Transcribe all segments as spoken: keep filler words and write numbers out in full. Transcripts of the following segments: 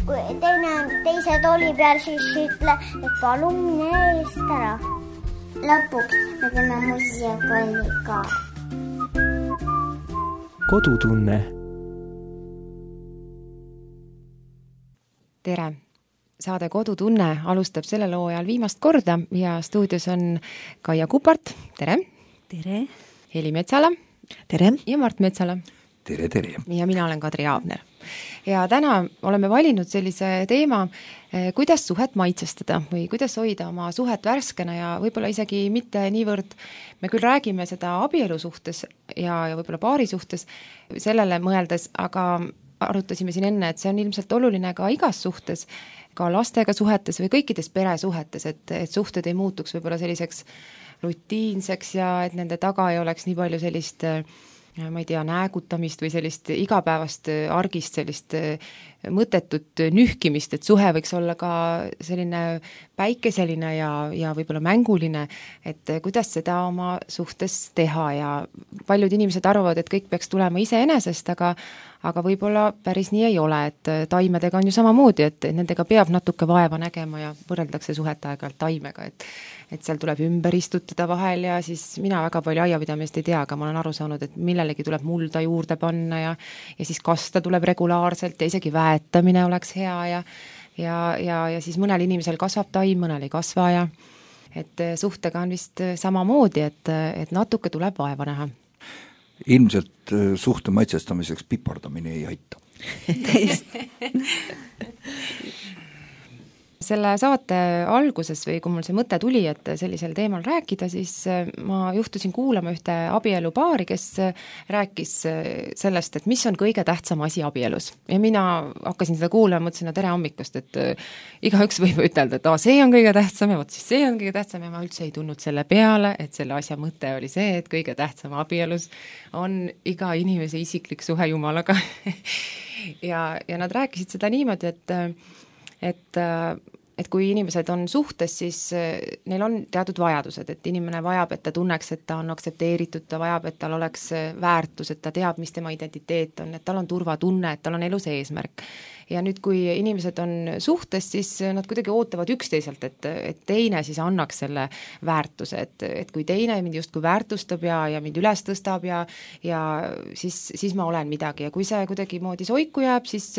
kui teine on teise tooli peal, siis ütle, et palun mine eest ära. Lõpuks me teeme muusikakolli ka. Kodutunne. Tere! Saade Kodutunne alustab selle loo ajal viimast korda ja stuudios on Kaia Kupart. Tere! Tere! Heli Metsala. Tere! Ja Mart Metsala. Tere, tere! Ja mina olen Kadri Aabner. Ja täna oleme valinud sellise teema, kuidas suhet maitsestada või kuidas hoida oma suhet värskena ja võib-olla isegi mitte niivõrd, me küll räägime seda abielu suhtes ja, ja võib-olla paari suhtes sellele mõeldes, aga arutasime siin enne, et see on ilmselt oluline ka igas suhtes, ka lastega suhetes või kõikides peresuhetes, et, et suhted ei muutuks võib-olla selliseks rutiinseks ja et nende taga ei oleks nii palju sellist, ma ei tea, näägutamist või sellist igapäevast argist, sellist mõttetut nühkimist, et suhe võiks olla ka selline päikeseline ja, ja võib-olla mänguline, et kuidas seda oma suhtes teha ja paljud inimesed arvavad, et kõik peaks tulema iseenesest, aga aga võib-olla päris nii ei ole, et taimedega on ju samamoodi, et nendega peab natuke vaeva nägema ja võrreldakse suhet aeg-ajalt taimega, et et seal tuleb ümber istutada vahel ja siis mina väga palju aiapidamist ei tea, aga ma olen aru saanud, et millelegi tuleb mulda juurde panna ja, ja siis kasta tuleb regulaarselt ja isegi väetamine oleks hea ja, ja, ja, ja siis mõnel inimesel kasvab taim, mõnel ei kasva ja et suhtega on vist samamoodi, et, et natuke tuleb vaeva näha. Ilmselt suhte maitsestamiseks pipardamine ei aita. Selle saate alguses või kui mul see mõte tuli, et sellisel teemal rääkida, siis ma juhtusin kuulama ühte abielupaari, kes rääkis sellest, et mis on kõige tähtsam asi abielus. Ja mina hakkasin seda kuulama, mõtlesin, no tere hommikust, et igaüks võib ütelda, et aa, see on kõige tähtsam ja võt siis see on kõige tähtsam ja ma üldse ei tulnud selle peale, et selle asja mõte oli see, et kõige tähtsam abielus on iga inimese isiklik suhe Jumalaga. ja, ja nad rääkisid seda niimoodi, et et et kui inimesed on suhtes, siis neil on teatud vajadused, et inimene vajab, et ta tunneks, et ta on aktsepteeritud, ta vajab, et tal oleks väärtus, et ta teab, mis tema identiteet on, et tal on turvatunne, et tal on elus eesmärk. Ja nüüd, kui inimesed on suhtes, siis nad kuidagi ootavad üksteiselt, et, et teine siis annaks selle väärtuse, et, et kui teine mind justkui väärtustab ja, ja mind üles tõstab ja, ja siis, siis ma olen midagi ja kui see kuidagi moodi soiku jääb, siis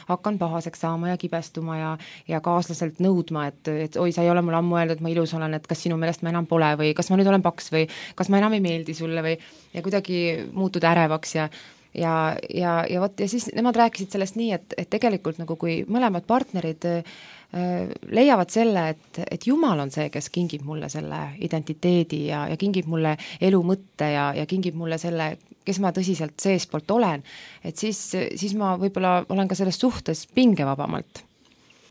hakkan pahaseks saama ja kibestuma ja, ja kaaslaselt nõudma, et, et oi, sa ei ole mul ammu öeldud, et ma ilus olen, et kas sinu meelest ma enam pole või kas ma nüüd olen paks või kas ma enam ei meeldi sulle või ja kuidagi muutud ärevaks ja ja, ja, ja vot ja siis nemad rääkisid sellest nii, et, et tegelikult nagu kui mõlemad partnerid äh, leiavad selle, et, et Jumal on see, kes kingib mulle selle identiteedi ja, ja kingib mulle elu mõtte ja, ja kingib mulle selle, kes ma tõsiselt seespoolt olen, et siis, siis ma võib-olla olen ka selles suhtes pingevabamalt.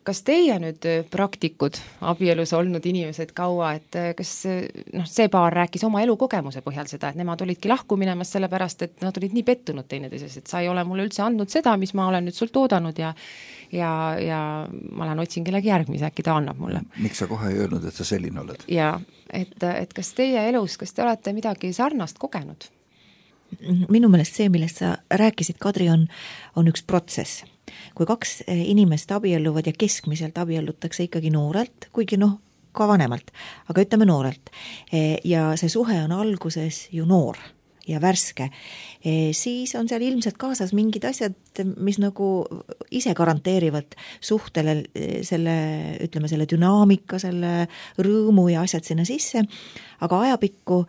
Kas teie nüüd praktikud, abielus olnud inimesed kaua, et kas noh, see paar rääkis oma elukogemuse põhjal seda, et nemad olidki lahku minemas sellepärast, et nad olid nii pettunud teineteises, et sa ei ole mulle üldse andnud seda, mis ma olen nüüd sult oodanud ja, ja, ja ma lähen otsin kellegi järgmise, äkki ta annab mulle. Miks sa kohe ei öelnud, et sa selline oled? Ja, et, et kas teie elus, kas te olete midagi sarnast kogenud? Minu meelest see, millest sa rääkisid, Kadri, on, on üks protsess. Kui kaks inimest abielluvad ja keskmiselt abiellutakse ikkagi noorelt, kuigi noh, ka vanemalt, aga ütleme noorelt. Ja see suhe on alguses ju noor ja värske, siis on seal ilmselt kaasas mingid asjad, mis nagu ise garanteerivad suhtele selle, ütleme, selle dünaamika, selle rõõmu ja asjad sinna sisse, aga ajapikku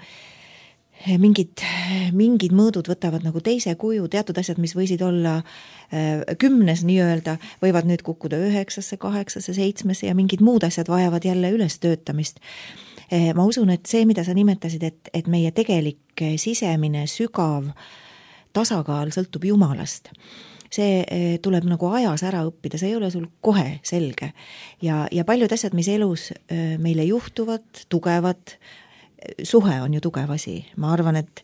mingid, mingid mõõdud võtavad nagu teise kuju, teatud asjad, mis võisid olla kümnes nii-öelda, võivad nüüd kukkuda üheksasse, kaheksasse, seitsmesse ja mingid muud asjad vajavad jälle üles töötamist. Ma usun, et see, mida sa nimetasid, et, et meie tegelik sisemine sügav tasakaal sõltub Jumalast. See tuleb nagu ajas ära õppida, see ei ole sul kohe selge. Ja, ja paljud asjad, mis elus meile juhtuvad, tugevad, suhe on ju tugev asi. Ma arvan, et,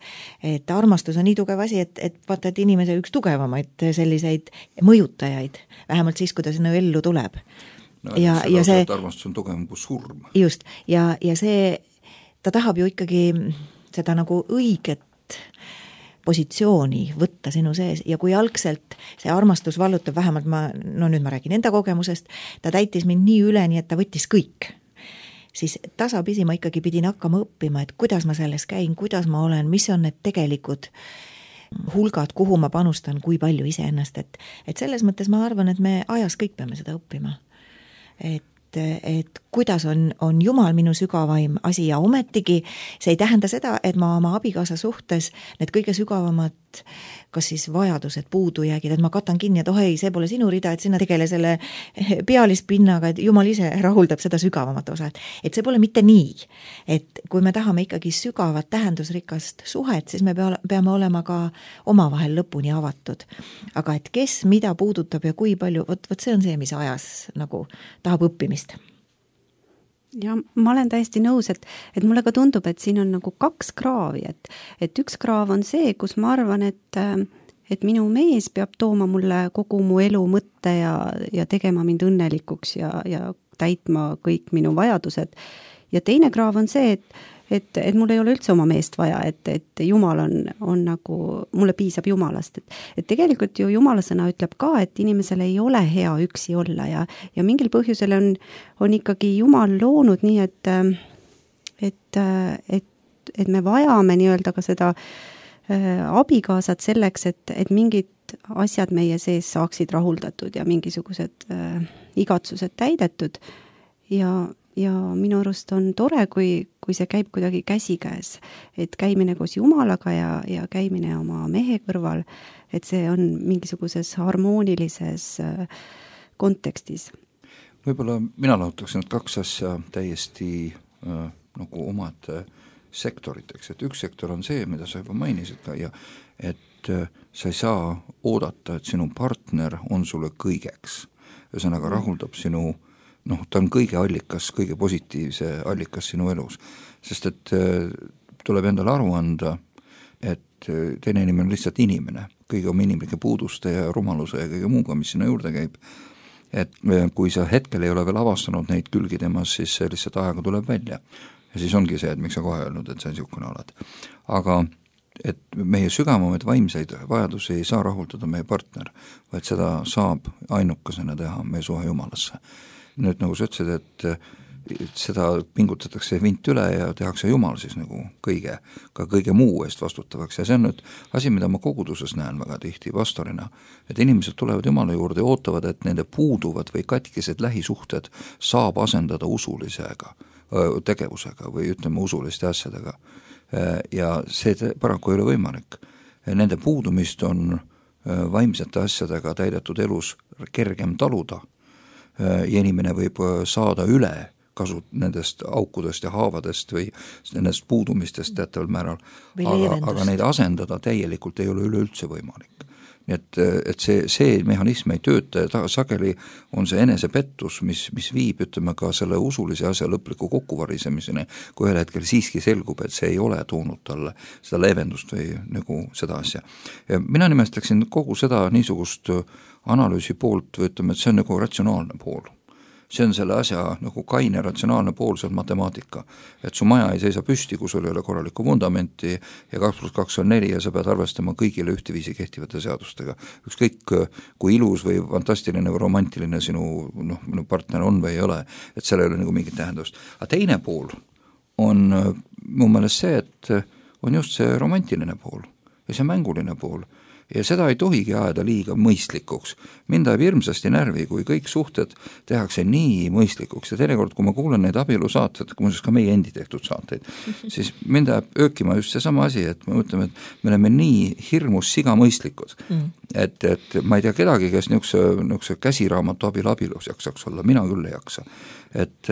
et armastus on nii tugev asi, et, et vaata, et inimese üks tugevamaid selliseid mõjutajaid, vähemalt siis, kui ta sinna ellu tuleb. No, ja, ja see, armastus on tugevam kui surm. Just, ja, ja see, ta tahab ju ikkagi seda nagu õiget, positsiooni võtta sinu sees ja kui algselt see armastus vallutab, vähemalt ma, no nüüd ma räägin enda kogemusest, ta täitis mind nii üle, nii et ta võttis kõik, siis tasapisi ma ikkagi pidin hakkama õppima, et kuidas ma selles käin, kuidas ma olen, mis on need tegelikud hulgad, kuhu ma panustan, kui palju iseennast, et, et selles mõttes ma arvan, et me ajas kõik peame seda õppima. Et et kuidas on, on Jumal minu sügavaim asi ja ometigi see ei tähenda seda, et ma oma abikaasa suhtes need kõige sügavamad kas siis vajadused, puudujäägid, et ma katan kinni, et oh ei, see pole sinu rida, et sina tegele selle pealispinnaga, et Jumal ise rahuldab seda sügavamat osa. Et see pole mitte nii, et kui me tahame ikkagi sügavat tähendusrikast suhet, siis me peame olema ka omavahel lõpuni avatud. Aga et kes mida puudutab ja kui palju, võt, võt see on see, mis ajas nagu tahab õppimist. Ja ma olen täiesti nõus, et, et mulle ka tundub, et siin on nagu kaks kraavi, et, et üks kraav on see, kus ma arvan, et, et minu mees peab tooma mulle kogu mu elu mõtte ja, ja tegema mind õnnelikuks ja, ja täitma kõik minu vajadused. Ja teine kraav on see, et, et, et mul ei ole üldse oma meest vaja, et, et Jumal on, on nagu, mulle piisab Jumalast. Et, et tegelikult ju Jumala sõna ütleb ka, et inimesel ei ole hea üksi olla ja, ja mingil põhjusel on, on ikkagi Jumal loonud nii, et, et, et, et me vajame nii-öelda ka seda äh, abikaasat selleks, et, et mingid asjad meie sees saaksid rahuldatud ja mingisugused äh, igatsused täidetud ja ja minu arust on tore, kui, kui see käib kuidagi käsikäes, et käimine koos Jumalaga ja, ja käimine oma mehe kõrval, et see on mingisuguses harmoonilises kontekstis. Võib-olla mina lahutaksin kaks asja täiesti äh, nagu omad sektoriteks, et üks sektor on see, mida sa juba mainisid ka ja et äh, sa ei saa oodata, et sinu partner on sulle kõigeks, ühesõnaga rahuldab sinu noh, ta on kõige allikas, kõige positiivse allikas sinu elus, sest et tuleb endale aru anda, et teine inimene on lihtsalt inimene, kõige oma inimlike puuduste ja rumaluse ja kõige muuga, mis sinna juurde käib. Et kui sa hetkel ei ole veel avastanud neid külgi temas, siis see lihtsalt ajaga tuleb välja. Ja siis ongi see, et miks sa kohe öelnud, et see on niisugune oled. Aga et meie sügavamaid vaimseid vajadusi ei saa rahuldada meie partner, vaid seda saab ainukesena teha meie suhe Jumalasse. Nüüd nagu sa ütlesid, et seda pingutatakse vint üle ja tehakse Jumal siis nagu kõige, ka kõige muu eest vastutavaks ja see on nüüd asi, mida ma koguduses näen väga tihti pastorina, et inimesed tulevad Jumala juurde ja ootavad, et nende puuduvad või katkised lähisuhted saab asendada usulisega tegevusega või ütleme usuliste asjadega ja see paraku ei ole võimalik. Nende puudumist on vaimsete asjadega täidetud elus kergem taluda ja inimene võib saada üle kasu nendest aukudest ja haavadest või nendest puudumistest teataval määral, aga, aga neid asendada täielikult ei ole üleüldse võimalik. Nii et, et see, see mehhanism ei tööta ja sageli on see enesepettus, mis, mis viib, ütleme ka selle usulise asja lõpliku kokkuvarisemiseni, kui ühel hetkel siiski selgub, et see ei ole toonud talle seda leevendust või nagu seda asja. Ja mina nimestaksin kogu seda niisugust analüüsi poolt või ütleme, et see on nagu ratsionaalne pool. See on selle asja nagu kaine ratsionaalne pool, see on matemaatika. Et su maja ei seisa püsti, kui sul ei ole korralikku vundamenti ja kaks pluss kaks on neli ja sa pead arvestama kõigile ühteviisi kehtivate seadustega. Ükskõik kui ilus või fantastiline või romantiline sinu, noh, minu partner on või ei ole, et seal ei ole nagu mingit tähendust. Aga teine pool on mu meelest see, et on just see romantiline pool ja see mänguline pool. Ja seda ei tohigi ajada liiga mõistlikuks. Mind ajab hirmsasti närvi, kui kõik suhted tehakse nii mõistlikuks ja teinekord, kui ma kuulen neid abielusaateid, kui muuseas ka meie endi tehtud saateid, siis mind ajab öökima just see sama asi, et me mõtleme, et me oleme nii hirmus siga mõistlikud, mm. et, et ma ei tea kedagi, kes niisuguse, niisuguse käsiraamatu abil abielus jaksaks olla, mina küll ei jaksa. Et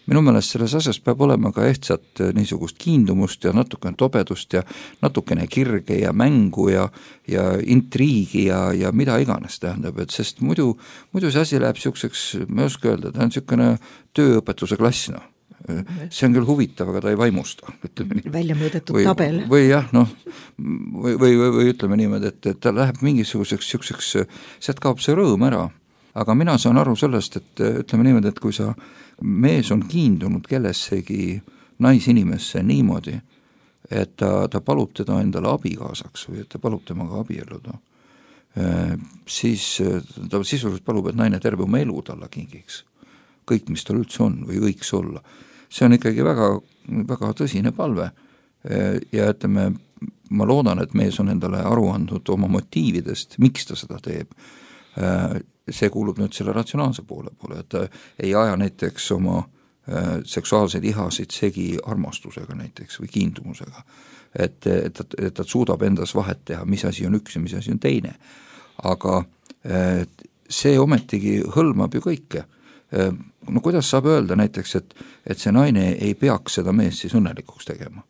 minu meelest selles asjas peab olema ka ehtsat niisugust kiindumust ja natukene tobedust ja natukene kirge ja mängu ja, ja intriigi ja, ja mida iganes tähendab, et sest muidu, muidu see asi läheb niisuguseks, ma ei oska öelda, ta on niisugune tööõpetuse klass, noh. See on küll huvitav, aga ta ei vaimusta, ütleme nii. Välja mõõdetud või, tabel. Või jah, noh, või, või, või, või ütleme niimoodi, et, et ta läheb mingisuguseks niisuguseks, sealt kaob see rõõm ära. Aga mina saan aru sellest, et ütleme niimoodi, et kui sa mees on kiindunud kellessegi naisinimesse niimoodi, et ta, ta palub teda endale abikaasaks või et ta palub temaga abielluda, siis ta sisuliselt palub, et naine terve oma elu talle kingiks. Kõik, mis tal üldse on või võiks olla. See on ikkagi väga, väga tõsine palve ja ütleme, ma loodan, et mees on endale aru andnud oma motiividest, miks ta seda teeb. See kuulub nüüd selle ratsionaalse poole poole, et ta ei aja näiteks oma seksuaalseid ihasid segi armastusega näiteks või kiindumusega, et, et, et ta suudab endas vahet teha, mis asi on üks ja mis asi on teine. Aga see ometigi hõlmab ju kõike. No kuidas saab öelda näiteks, et, et see naine ei peaks seda meest siis õnnelikuks tegema?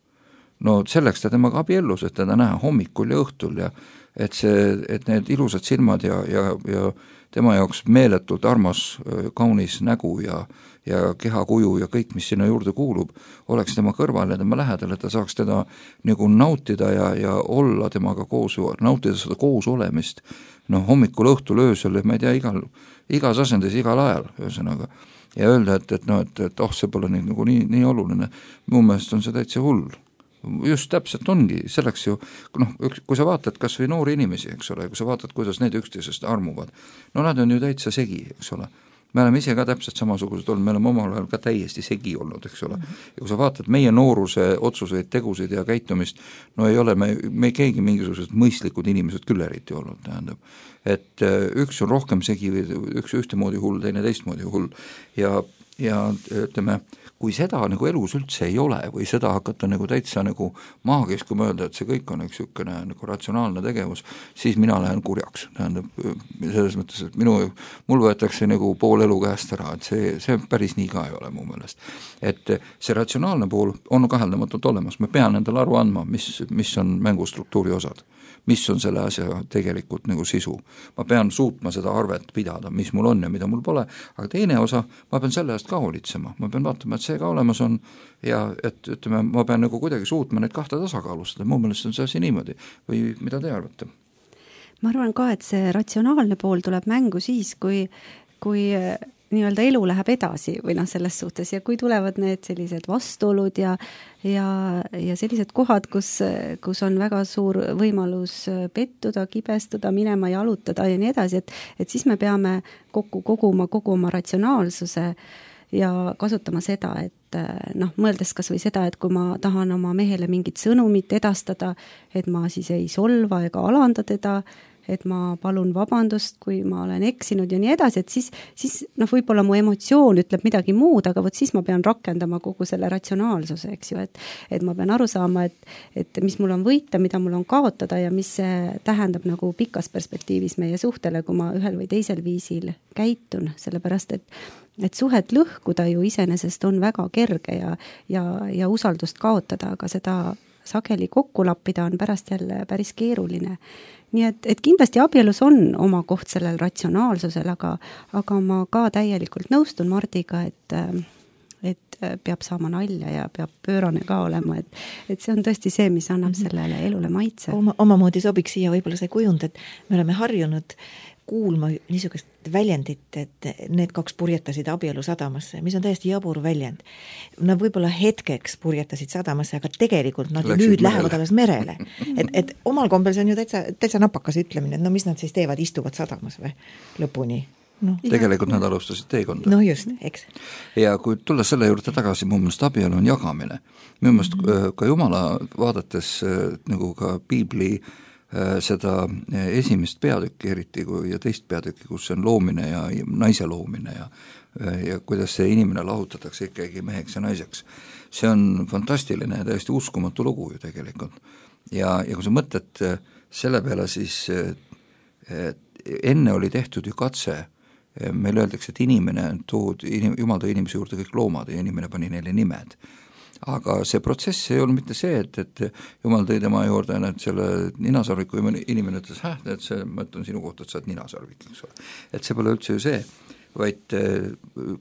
No selleks ta temaga abiellus, et teda näha hommikul ja õhtul ja et see, et need ilusad silmad ja, ja, ja tema jaoks meeletult armas, kaunis nägu ja, ja kehakuju ja kõik, mis sinna juurde kuulub, oleks tema kõrval ja tema lähedal, et ta saaks teda nagu nautida ja, ja olla temaga koos, nautida seda koos olemist, noh hommikul, õhtul, öösel, ma ei tea, igal, igas asendis, igal ajal, ühesõnaga. Ja öelda, et, et, no, et, et oh, see pole nii, nagu nii, nii oluline, mu meelest on see täitsa hull. Just täpselt ongi, selleks ju, noh, kui sa vaatad kas või noori inimesi, eks ole, kui sa vaatad, kuidas need üksteisest armuvad, no nad on ju täitsa segi, eks ole. Me oleme ise ka täpselt samasugused olnud, me oleme omal ajal ka täiesti segi olnud, eks ole. Ja kui sa vaatad meie nooruse otsuseid, tegusid ja käitumist, no ei ole me, me keegi mingisugused mõistlikud inimesed küll eriti olnud, tähendab. Et üks on rohkem segi, üks ühtemoodi hull, teine teistmoodi hull ja, ja ütleme, kui seda nagu elus üldse ei ole või seda hakata nagu täitsa nagu maagis, kui mõelda, et see kõik on üks niisugune nagu ratsionaalne tegevus, siis mina lähen kurjaks. Tähendab, selles mõttes, et minu, mul võetakse nagu pool elu käest ära, et see, see päris nii ka ei ole mu meelest. Et see ratsionaalne pool on kaheldamatult olemas, me pean endale aru andma, mis, mis on mängustruktuuri osad, mis on selle asja tegelikult nagu sisu. Ma pean suutma seda arvet pidada, mis mul on ja mida mul pole, aga teine osa, ma pean selle eest ka hoolitsema, ma pean vaatama, et see ka olemas on ja et ütleme, ma pean nagu kuidagi suutma neid kahte tasakaalustada, mu meelest on see asi niimoodi või mida te arvate? Ma arvan ka, et see ratsionaalne pool tuleb mängu siis, kui, kui nii-öelda elu läheb edasi või noh, selles suhtes ja kui tulevad need sellised vastuolud ja, ja, ja sellised kohad, kus, kus on väga suur võimalus pettuda, kibestuda, minema jalutada ja nii edasi, et, et siis me peame kokku koguma kogu oma ratsionaalsuse ja kasutama seda, et noh, mõeldes kas või seda, et kui ma tahan oma mehele mingit sõnumit edastada, et ma siis ei solva ega alanda teda, et ma palun vabandust, kui ma olen eksinud ja nii edasi, et siis, siis noh, võib-olla mu emotsioon ütleb midagi muud, aga vot siis ma pean rakendama kogu selle ratsionaalsuse, eks ju, et, et ma pean aru saama, et, et mis mul on võita, mida mul on kaotada ja mis see tähendab nagu pikas perspektiivis meie suhtele, kui ma ühel või teisel viisil käitun, sellepärast et et suhet lõhkuda ju iseenesest on väga kerge ja, ja, ja usaldust kaotada, aga seda sageli kokku lappida on pärast jälle päris keeruline. Nii et, et kindlasti abielus on oma koht sellel ratsionaalsusel, aga, aga ma ka täielikult nõustun Mardiga, et, et peab saama nalja ja peab pöörane ka olema, et, et see on tõesti see, mis annab sellele elule maitse. Oma, omamoodi sobiks siia võib-olla see kujund, et me oleme harjunud kuulma niisugust väljendit, et need kaks purjetasid abielu sadamasse, mis on täiesti jabur väljend. Nad võib-olla hetkeks purjetasid sadamasse, aga tegelikult nad Läksid nüüd merele. Lähevad alles merele. Et, et omal kombel see on ju täitsa, täitsa napakas ütlemine, et no mis nad siis teevad, istuvad sadamas või lõpuni. No. Tegelikult nad alustasid teekonda. No just, eks. Ja kui tulla selle juurde tagasi, mu meelest abielu on jagamine. Minu meelest mm-hmm. ka Jumala vaadates nagu ka Piibli seda esimest peatükki eriti ja teist peatükki, kus on loomine ja naise loomine ja, ja kuidas see inimene lahutatakse ikkagi meheks ja naiseks. See on fantastiline ja täiesti uskumatu lugu ju tegelikult. Ja, ja kui sa mõtled selle peale, siis enne oli tehtud ju katse, meil öeldakse, et inimene tood, Jumal tõi inimese juurde kõik loomad ja inimene pani neile nimed. Aga see protsess ei olnud mitte see, et, et Jumal tõi tema juurde et selle ninasarviku ja inimene ütles, häh, et see, ma ütlen sinu kohta, et sa oled ninasarvik, eks ole. Et see pole üldse ju see, vaid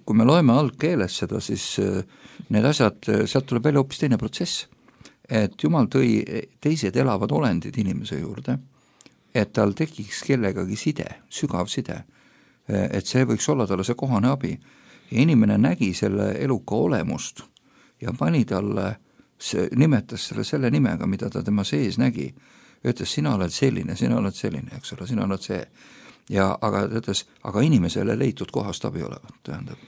kui me loeme algkeeles seda, siis need asjad, sealt tuleb välja hoopis teine protsess. Et Jumal tõi teised elavad olendid inimese juurde, et tal tekiks kellegagi side, sügav side, et see võiks olla talle see kohane abi. Ja inimene nägi selle eluka olemust ja pani talle see nimetas selle selle nimega, mida ta tema sees nägi, ütles, sina oled selline, sina oled selline, eks ole, sina oled see. Ja aga ta ütles, aga inimesele leitud kohast abi olevat, tähendab.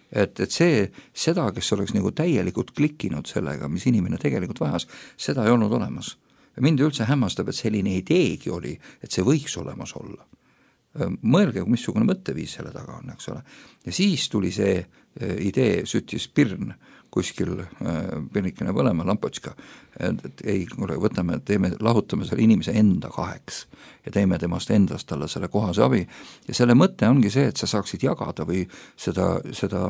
Et, et see, seda, kes oleks nagu täielikult klikkinud sellega, mis inimene tegelikult vajas, seda ei olnud olemas. Ja mind üldse hämmastab, et selline ideegi oli, et see võiks olemas olla. Mõelge, missugune mõtteviis selle taga on, eks ole. Ja siis tuli see idee, süttis pirn kuskil pirnikene põlema, lampotška, et, et ei, võtame, teeme, lahutame selle inimese enda kaheks ja teeme temast endast talle selle kohase abi ja selle mõte ongi see, et sa saaksid jagada või seda, seda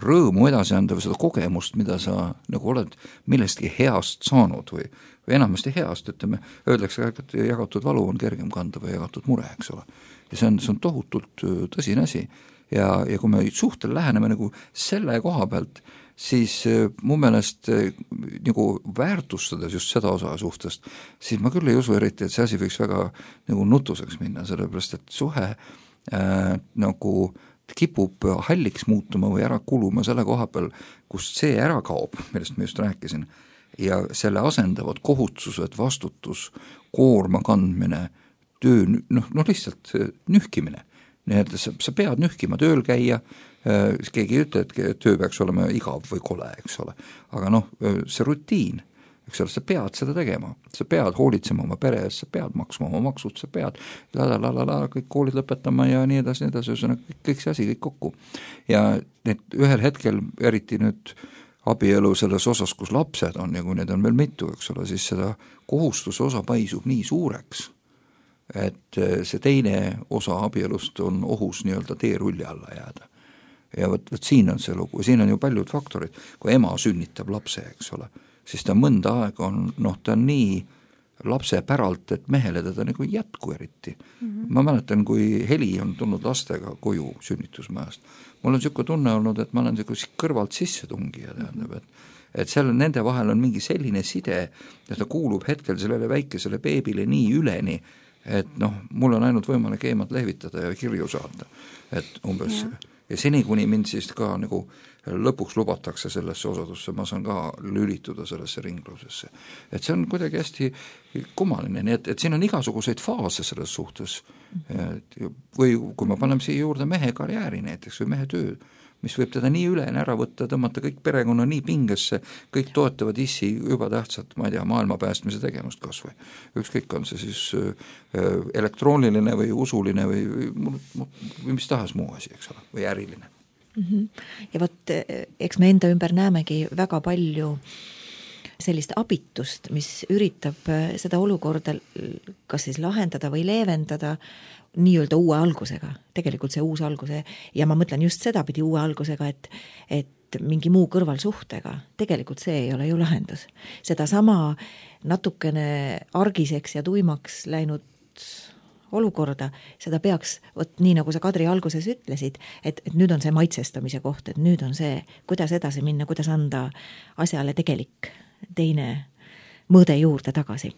rõõmu edasi anda või seda kogemust, mida sa nagu oled millestki heast saanud või, või enamasti heast, ütleme, öeldakse, et jagatud valu on kergem kanda või jagatud mure, eks ole. Ja see on, see on tohutult tõsine asi ja, ja kui me suhtel läheneme nagu selle koha pealt, siis mu meelest nagu väärtustades just seda osa suhtest, siis ma küll ei usu eriti, et see asi võiks väga nagu nutuseks minna, sellepärast et suhe äh, nagu kipub halliks muutuma või ära kuluma selle koha peal, kust see ära kaob, millest ma just rääkisin, ja selle asendavad kohustused, vastutus, koorma kandmine, töö, noh, noh lihtsalt nühkimine. Nii et sa, sa pead nühkima, tööl käia, keegi ei ütle, et töö peaks olema igav või kole, eks ole. Aga noh, see rutiin, eks ole, sa pead seda tegema, sa pead hoolitsema oma pere eest, sa pead maksma oma maksud, sa pead la, la, la, la, la, kõik koolid lõpetama ja nii edasi, nii edasi, kõik, kõik see asi, kõik kokku. Ja need ühel hetkel, eriti nüüd abielu selles osas, kus lapsed on ja kui need on veel mitu, eks ole, siis seda kohustuse osa paisub nii suureks, et see teine osa abielust on ohus nii-öelda teerulli alla jääda. Ja võt, võt siin on see lugu, siin on ju paljud faktorid, kui ema sünnitab lapse, eks ole, siis ta mõnda aega on, noh, ta on nii lapse päralt, et mehele teda nagu jätku eriti. Mm-hmm. Ma mäletan, kui Heli on tulnud lastega koju sünnitusmajast, mul on niisugune tunne olnud, et ma olen niisugune kõrvalt sisse tungija, tähendab, et et seal nende vahel on mingi selline side, et ta kuulub hetkel sellele väikesele beebile nii üleni, et noh, mul on ainult võimalik eemalt lehvitada ja kirju saata, et umbes ja, ja seni, kuni mind siis ka nagu lõpuks lubatakse sellesse osadusse, ma saan ka lülituda sellesse ringlusesse. Et see on kuidagi hästi kummaline, nii et, et siin on igasuguseid faase selles suhtes. Et, või kui ma panen siia juurde mehe karjääri näiteks või mehe töö, mis võib teda nii üleni ära võtta, tõmmata kõik perekonna nii pingesse, kõik toetavad issi juba tähtsat, ma ei tea, maailma päästmise tegemust kas või. Ükskõik on see siis elektrooniline või usuline või, või, või mis tahas muu asi, eks ole, või äriline. Mm-hmm. Ja võt, eks me enda ümber näemegi väga palju sellist abitust, mis üritab seda olukorda kas siis lahendada või leevendada nii-öelda uue algusega, tegelikult see uus alguse, ja ma mõtlen just seda pidi uue algusega, et, et mingi muu kõrvalsuhtega, tegelikult see ei ole ju lahendus. Seda sama natukene argiseks ja tuimaks läinud olukorda, seda peaks, võt, nii nagu sa Kadri alguses ütlesid, et, et nüüd on see maitsestamise koht, et nüüd on see, kuidas edasi minna, kuidas anda asjale tegelik teine mõõde juurde tagasi.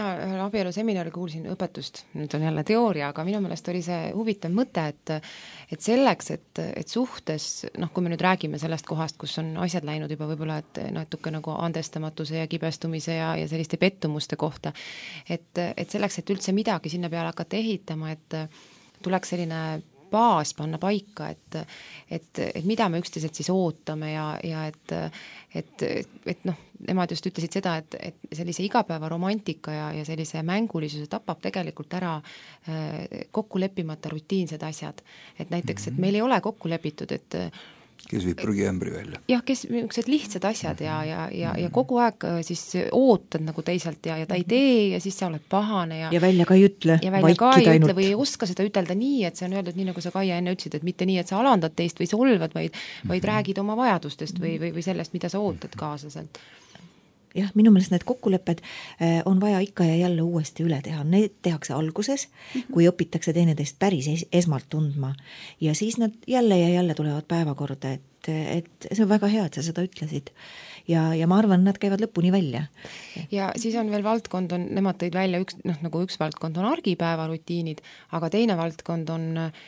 mina ühel abieluseminari kuulsin õpetust, nüüd on jälle teooria, aga minu meelest oli see huvitav mõte, et et selleks, et, et suhtes, noh, kui me nüüd räägime sellest kohast, kus on asjad läinud juba võib-olla, et natuke nagu andestamatuse ja kibestumise ja, ja selliste pettumuste kohta, et, et selleks, et üldse midagi sinna peale hakata ehitama, et tuleks selline baas panna paika, et, et, et mida me üksteiselt siis ootame ja, ja et, et, et noh, nemad just ütlesid seda, et, et sellise igapäeva romantika ja, ja sellise mängulisuse tapab tegelikult ära kokku leppimata rutiinsed asjad. Et näiteks, et meil ei ole kokku lepitud, et kes viib prügiämbri välja. Jah, kes niisugused lihtsad asjad ja, ja, ja, ja kogu aeg siis ootad nagu teisalt ja, ja ta ei tee ja siis sa oled pahane ja ja välja ka ei ütle, ja välja ka ei ütle või ei oska seda ütelda nii, et see on öeldud nii, nagu sa Kaia enne ütlesid, et mitte nii, et sa alandad teist või solvad, vaid, vaid räägid oma vajadustest või, või, või sellest, mida sa ootad kaaslaselt. Jah, minu meelest need kokkulepped on vaja ikka ja jälle uuesti üle teha. Need tehakse alguses, kui õpitakse teineteist päris esmalt tundma ja siis nad jälle ja jälle tulevad päevakorda, et, et see on väga hea, et sa seda ütlesid. Ja, ja ma arvan, nad käivad lõpuni välja. Ja siis on veel valdkond, on, nemad tõid välja üks, noh, nagu üks valdkond on argipäeva rutiinid, aga teine valdkond on äh,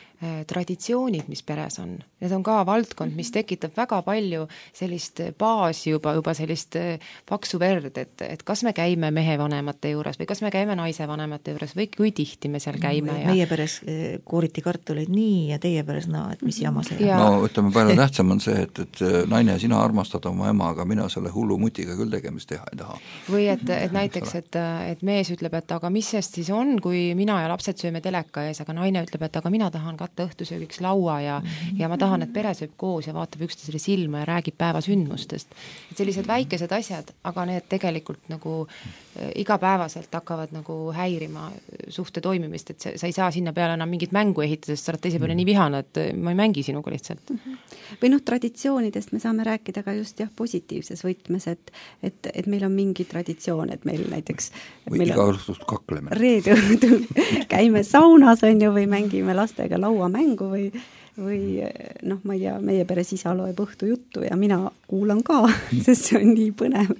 traditsioonid, mis peres on. Need on ka valdkond, mis tekitab väga palju sellist baasi juba, juba sellist äh, paksu verd, et, et kas me käime mehe vanemate juures või kas me käime naise vanemate juures või kui tihti me seal käime. Ja... Meie peres kooriti kartuleid nii ja teie peres naa, et mis jama see ja... No ütleme, palju tähtsam on see, et, et naine, sina armastad oma ema, aga mina selle hullu mutiga küll tegemist teha ei taha. Või et, et näiteks, et, et mees ütleb, et aga mis sest siis on, kui mina ja lapsed sööme teleka ees, aga naine ütleb, et aga mina tahan katta õhtusöögiks laua ja, ja ma tahan, et pere sööb koos ja vaatab üksteisele silma ja räägib päeva sündmustest. Et sellised väikesed asjad, aga need tegelikult nagu igapäevaselt hakkavad nagu häirima suhte toimimist, et sa ei saa sinna peale enam mingit mängu ehitada, sest sa oled teise peale nii vihane, et ma ei mängi sinuga lihtsalt. Või noh, traditsioonidest me saame rääkida ka just jah, positiivses võtmes, et, et, et meil on mingi traditsioon, et meil näiteks või meil iga õhtust kakleme. Reede õhtul käime saunas on ju, või mängime lastega lauamängu või või noh, ma ei tea, meie peres isa loeb õhtu juttu ja mina kuulan ka, sest see on nii põnev.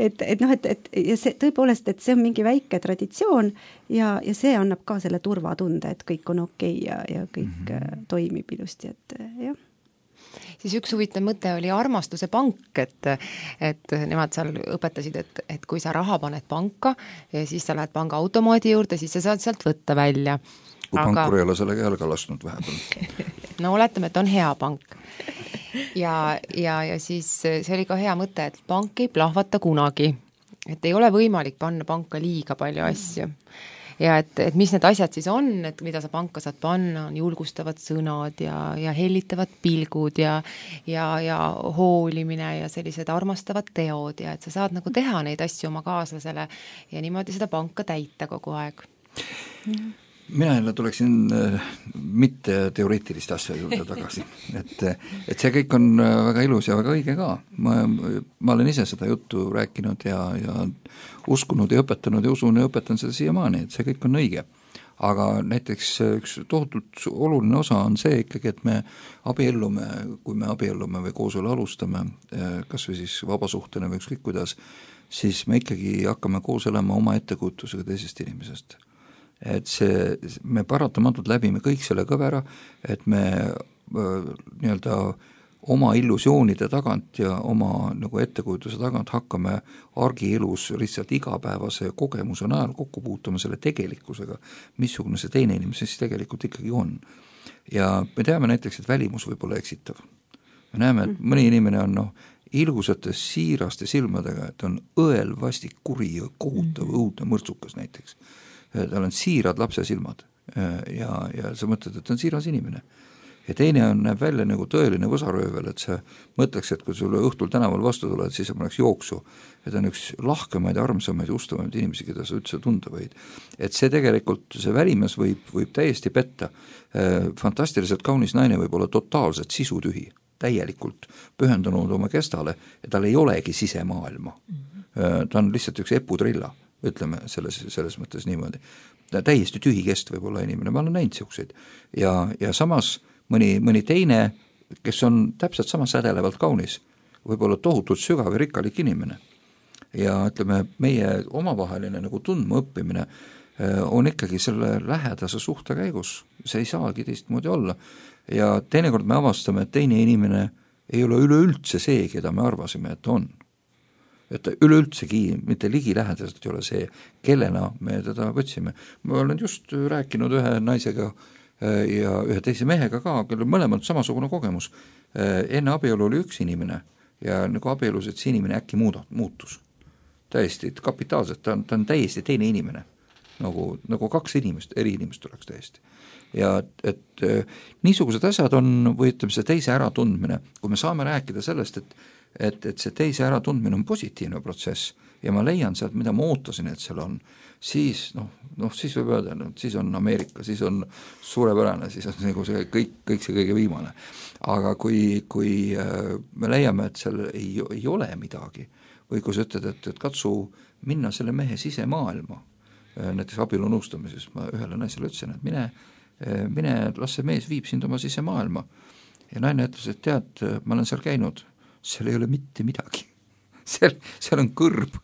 Et, et noh, et, et ja see tõepoolest, et see on mingi väike traditsioon ja, ja see annab ka selle turvatunde, et kõik on okei ja, ja kõik mm-hmm. toimib ilusti, et jah. Siis üks huvitav mõte oli armastuse pank, et, et nemad seal õpetasid, et, et kui sa raha paned panka ja siis sa lähed panga automaadi juurde, siis sa saad sealt võtta välja. Kui aga... pankur ei ole sellega jalga lasknud vahepeal. No oletame, et on hea pank. Ja, ja, ja siis see oli ka hea mõte, et pank ei plahvata kunagi. Et ei ole võimalik panna panka liiga palju asju. Ja et, et mis need asjad siis on, et mida sa panka saad panna, on julgustavad sõnad ja, ja hellitavad pilgud ja, ja, ja hoolimine ja sellised armastavad teod ja et sa saad nagu teha neid asju oma kaaslasele ja niimoodi seda panka täita kogu aeg. Mina jälle tuleksin äh, mitte teoreetiliste asja juurde tagasi, et, et see kõik on väga ilus ja väga õige ka. Ma, ma olen ise seda juttu rääkinud ja, ja uskunud ja õpetanud ja usun ja õpetan seda siiamaani, et see kõik on õige. Aga näiteks üks tohutult oluline osa on see ikkagi, et me abiellume, kui me abiellume või kooselu alustame, kas või siis vabasuhtena või ükskõik kuidas, siis me ikkagi hakkame koos elama oma ettekujutusega teisest inimesest. Et see, me paratamatult läbime kõik selle kõvera, et me nii-öelda oma illusioonide tagant ja oma nagu ettekujutuse tagant hakkame argielus lihtsalt igapäevase kogemuse najal kokku puutuma selle tegelikkusega, missugune see teine inimene siis tegelikult ikkagi on. Ja me teame näiteks, et välimus võib olla eksitav. Me näeme, et mõni inimene on noh, ilgusate siiraste silmadega, et on õelvasti kuri ja kohutav õudne mõrtsukas näiteks. Tal on siirad lapse silmad ja, ja sa mõtled, et ta on siiras inimene. Ja teine on, näeb välja nagu tõeline võsaröövel, et sa mõtleks, et kui sulle õhtul tänaval vastu tuled, siis sa paneks jooksu. Ja ta on üks lahkemaid, armsamaid, ustavamaid inimesi, keda sa üldse tunda võid. Et see tegelikult, see välimas võib, võib täiesti petta. Fantastiliselt kaunis naine võib olla totaalselt sisutühi, täielikult pühendunud oma kestale ja tal ei olegi sisemaailma. Ta on lihtsalt üks eputrilla. Ütleme selles, selles mõttes niimoodi. Täiesti tühi kest võib olla inimene, ma olen näinud siukseid. Ja, ja samas mõni, mõni teine, kes on täpselt sama sädelevalt kaunis, võib olla tohutult sügav ja rikkalik inimene. ja ütleme, meie omavaheline nagu tundma õppimine on ikkagi selle lähedase suhte käigus, see ei saagi teistmoodi olla. Ja teinekord me avastame, et teine inimene ei ole üleüldse see, keda me arvasime, et on. Et üleüldsegi mitte ligilähedaselt ei ole see, kellena me teda võtsime. Ma olen just rääkinud ühe naisega ja ühe teise mehega ka, kellel mõlemalt samasugune kogemus. Enne abielu oli üks inimene ja nagu abielus, et see inimene äkki muuda, muutus. Täiesti kapitaalselt, ta on, ta on täiesti teine inimene. Nagu, nagu kaks inimest, eri inimest oleks täiesti. Ja et äh, niisugused asjad on, või ütleme see teise äratundmine, kui me saame rääkida sellest, et, et, et see teise äratundmine on positiivne protsess ja ma leian sealt, mida ma ootasin, et seal on, siis noh, noh siis võib öelda, no, siis on Ameerika, siis on suurepärane, siis on nagu see kõik, kõik see kõige viimane. Aga kui, kui äh, me leiame, et seal ei, ei ole midagi, või kui sa ütled, et, et katsu minna selle mehe sisemaailma, näiteks abielu nõustamises ma ühele naisele ütlesin, et mine, mine, las see mees viib sind oma sisemaailma. Ja naine ütles, et tead, ma olen seal käinud, seal ei ole mitte midagi. Seal, seal on kõrb.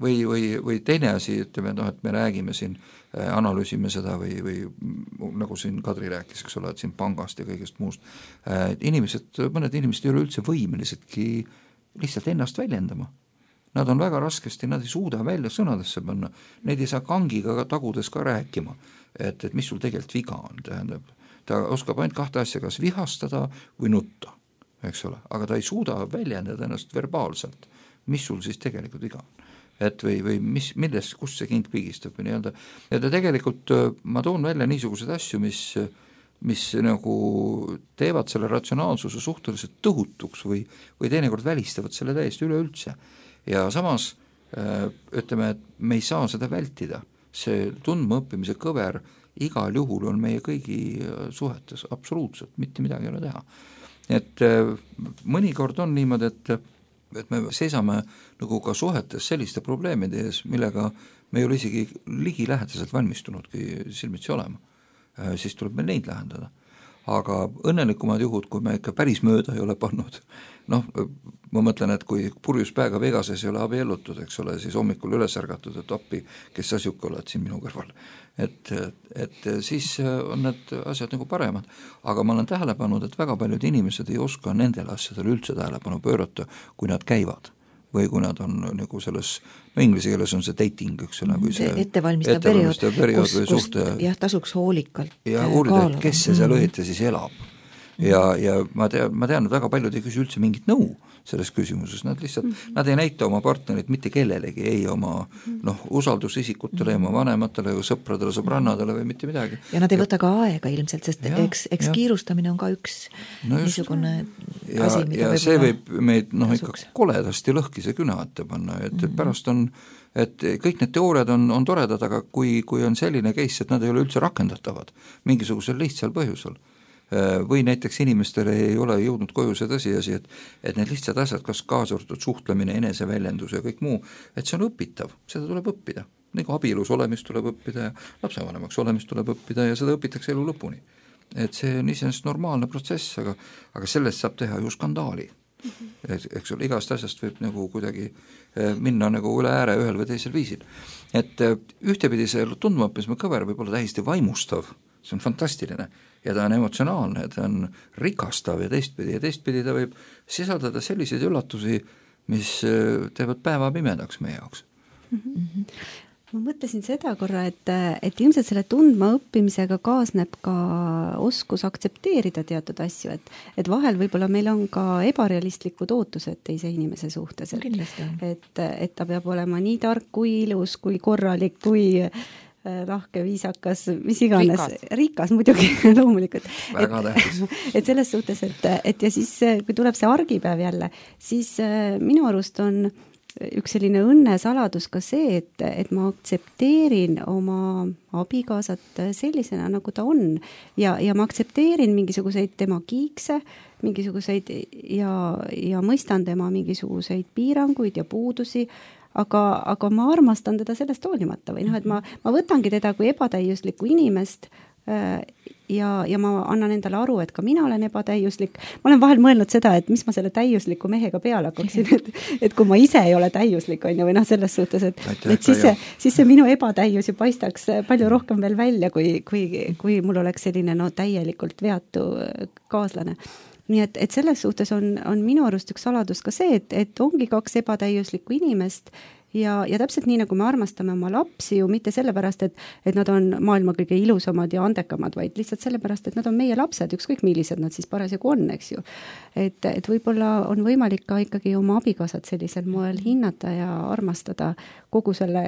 Või, või, või teine asi, ütleme, no, et me räägime siin, analüüsime seda või, või nagu siin Kadri rääkis, eks ole, et siin pangast ja kõigest muust. Inimesed, mõned inimesed ei ole üldse võimelisedki lihtsalt ennast väljendama. Nad on väga raskesti, nad ei suuda välja sõnadesse panna, neid ei saa kangiga tagudes ka rääkima, et, et mis sul tegelikult viga on, tähendab. Ta oskab ainult kahte asja, kas vihastada või nutta, eks ole, aga ta ei suuda väljendada ennast verbaalselt, mis sul siis tegelikult viga on. Et või, või mis, millest, kus see kind pigistab või nii-öelda. Ja ta tegelikult, ma toon välja niisuguseid asju, mis, mis nagu teevad selle ratsionaalsuse suhteliselt tõhutuks või, või teinekord välistavad selle täiesti üleüldse. Ja samas ütleme, et me ei saa seda vältida, see tundma õppimise kõver igal juhul on meie kõigi suhetes absoluutselt, mitte midagi ei ole teha. Et mõnikord on niimoodi, et, et me seisame nagu ka suhetes selliste probleemide ees, millega me ei ole isegi ligilähedaselt valmistunudki silmitsi olema, siis tuleb meil neid lähendada. Aga õnnelikumad juhud, kui me ikka päris mööda ei ole pannud, noh, ma mõtlen, et kui purjus päega Vegases ei ole abiellutud, eks ole, siis hommikul üles ärgatud, et appi, kes sa siuke oled siin minu kõrval. Et, et siis on need asjad nagu paremad. Aga ma olen tähele pannud, et väga paljud inimesed ei oska nendele asjadele üldse tähelepanu pöörata, kui nad käivad. Või kui nad on nagu selles, no inglise keeles on see dating, eks ole, kui see ettevalmistav periood, periood kus, kus suhte... jah, tasuks hoolikalt ja uurida, et kes see seal õieti siis elab. Ja, ja ma tean, ma tean, et väga paljud ei küsi üldse mingit nõu selles küsimuses, nad lihtsalt, mm-hmm. nad ei näita oma partnerit mitte kellelegi, ei oma noh, usaldusisikutele, oma vanematele, sõpradele, sõbrannadele või mitte midagi. Ja nad ei võta ka aega ilmselt, sest ja, eks, eks ja. Kiirustamine on ka üks no just, niisugune ja, asi, mida ja see võib meid noh, ikka koledasti lõhkise küna ette panna, et, et pärast on, et kõik need teooriad on, on toredad, aga kui, kui on selline case, et nad ei ole üldse rakendatavad mingisugusel lihtsal põhjusel, või näiteks inimestele ei ole jõudnud koju see tõsiasi, et, et need lihtsad asjad, kas kaasartud suhtlemine, eneseväljendus ja kõik muu, et see on õpitav, seda tuleb õppida. Nagu abielus olemist tuleb õppida ja lapsevanemaks olemist tuleb õppida ja seda õpitakse elu lõpuni. Et see on iseenesest normaalne protsess, aga, aga sellest saab teha ju skandaali. Mm-hmm. Eks ole, igast asjast võib nagu kuidagi minna nagu üle ääre ühel või teisel viisil. Et ühtepidi see tundmaõppisme kõver võib olla täiesti vaimustav, see on fantastiline ja ta on emotsionaalne, ta on rikastav ja teistpidi ja teistpidi ta võib sisaldada selliseid üllatusi, mis teevad päeva pimedaks meie jaoks. Mm-hmm. Ma mõtlesin seda korra, et, et ilmselt selle tundma õppimisega kaasneb ka oskus aktsepteerida teatud asju, et, et vahel võib-olla meil on ka ebarealistlikud ootused teise inimese suhtes, et, et, et ta peab olema nii tark kui ilus, kui korralik, kui lahke, viisakas, mis iganes, rikas, rikas muidugi loomulikult. Väga tähtis. Et selles suhtes, et, et ja siis, kui tuleb see argipäev jälle, siis minu arust on üks selline õnnesaladus ka see, et, et ma aktsepteerin oma abikaasat sellisena, nagu ta on ja, ja ma aktsepteerin mingisuguseid tema kiikse, mingisuguseid ja, ja mõistan tema mingisuguseid piiranguid ja puudusi, aga, aga ma armastan teda sellest hoolimata või noh, et ma, ma võtangi teda kui ebatäiuslikku inimest äh, ja, ja ma annan endale aru, et ka mina olen ebatäiuslik. Ma olen vahel mõelnud seda, et mis ma selle täiusliku mehega peale hakkaksin, et, et kui ma ise ei ole täiuslik, on ju, või noh, selles suhtes, et, et siis, see, siis see minu ebatäius ju paistaks palju rohkem veel välja, kui, kui, kui mul oleks selline no, täielikult veatu kaaslane. Nii et, et selles suhtes on, on minu arust üks saladus ka see, et, et ongi kaks ebatäiuslikku inimest ja, ja täpselt nii, nagu me armastame oma lapsi ju mitte sellepärast, et, et nad on maailma kõige ilusamad ja andekamad, vaid lihtsalt sellepärast, et nad on meie lapsed, ükskõik millised nad siis parasjagu on, eks ju. Et, et võib-olla on võimalik ka ikkagi oma abikaasat sellisel moel hinnata ja armastada kogu selle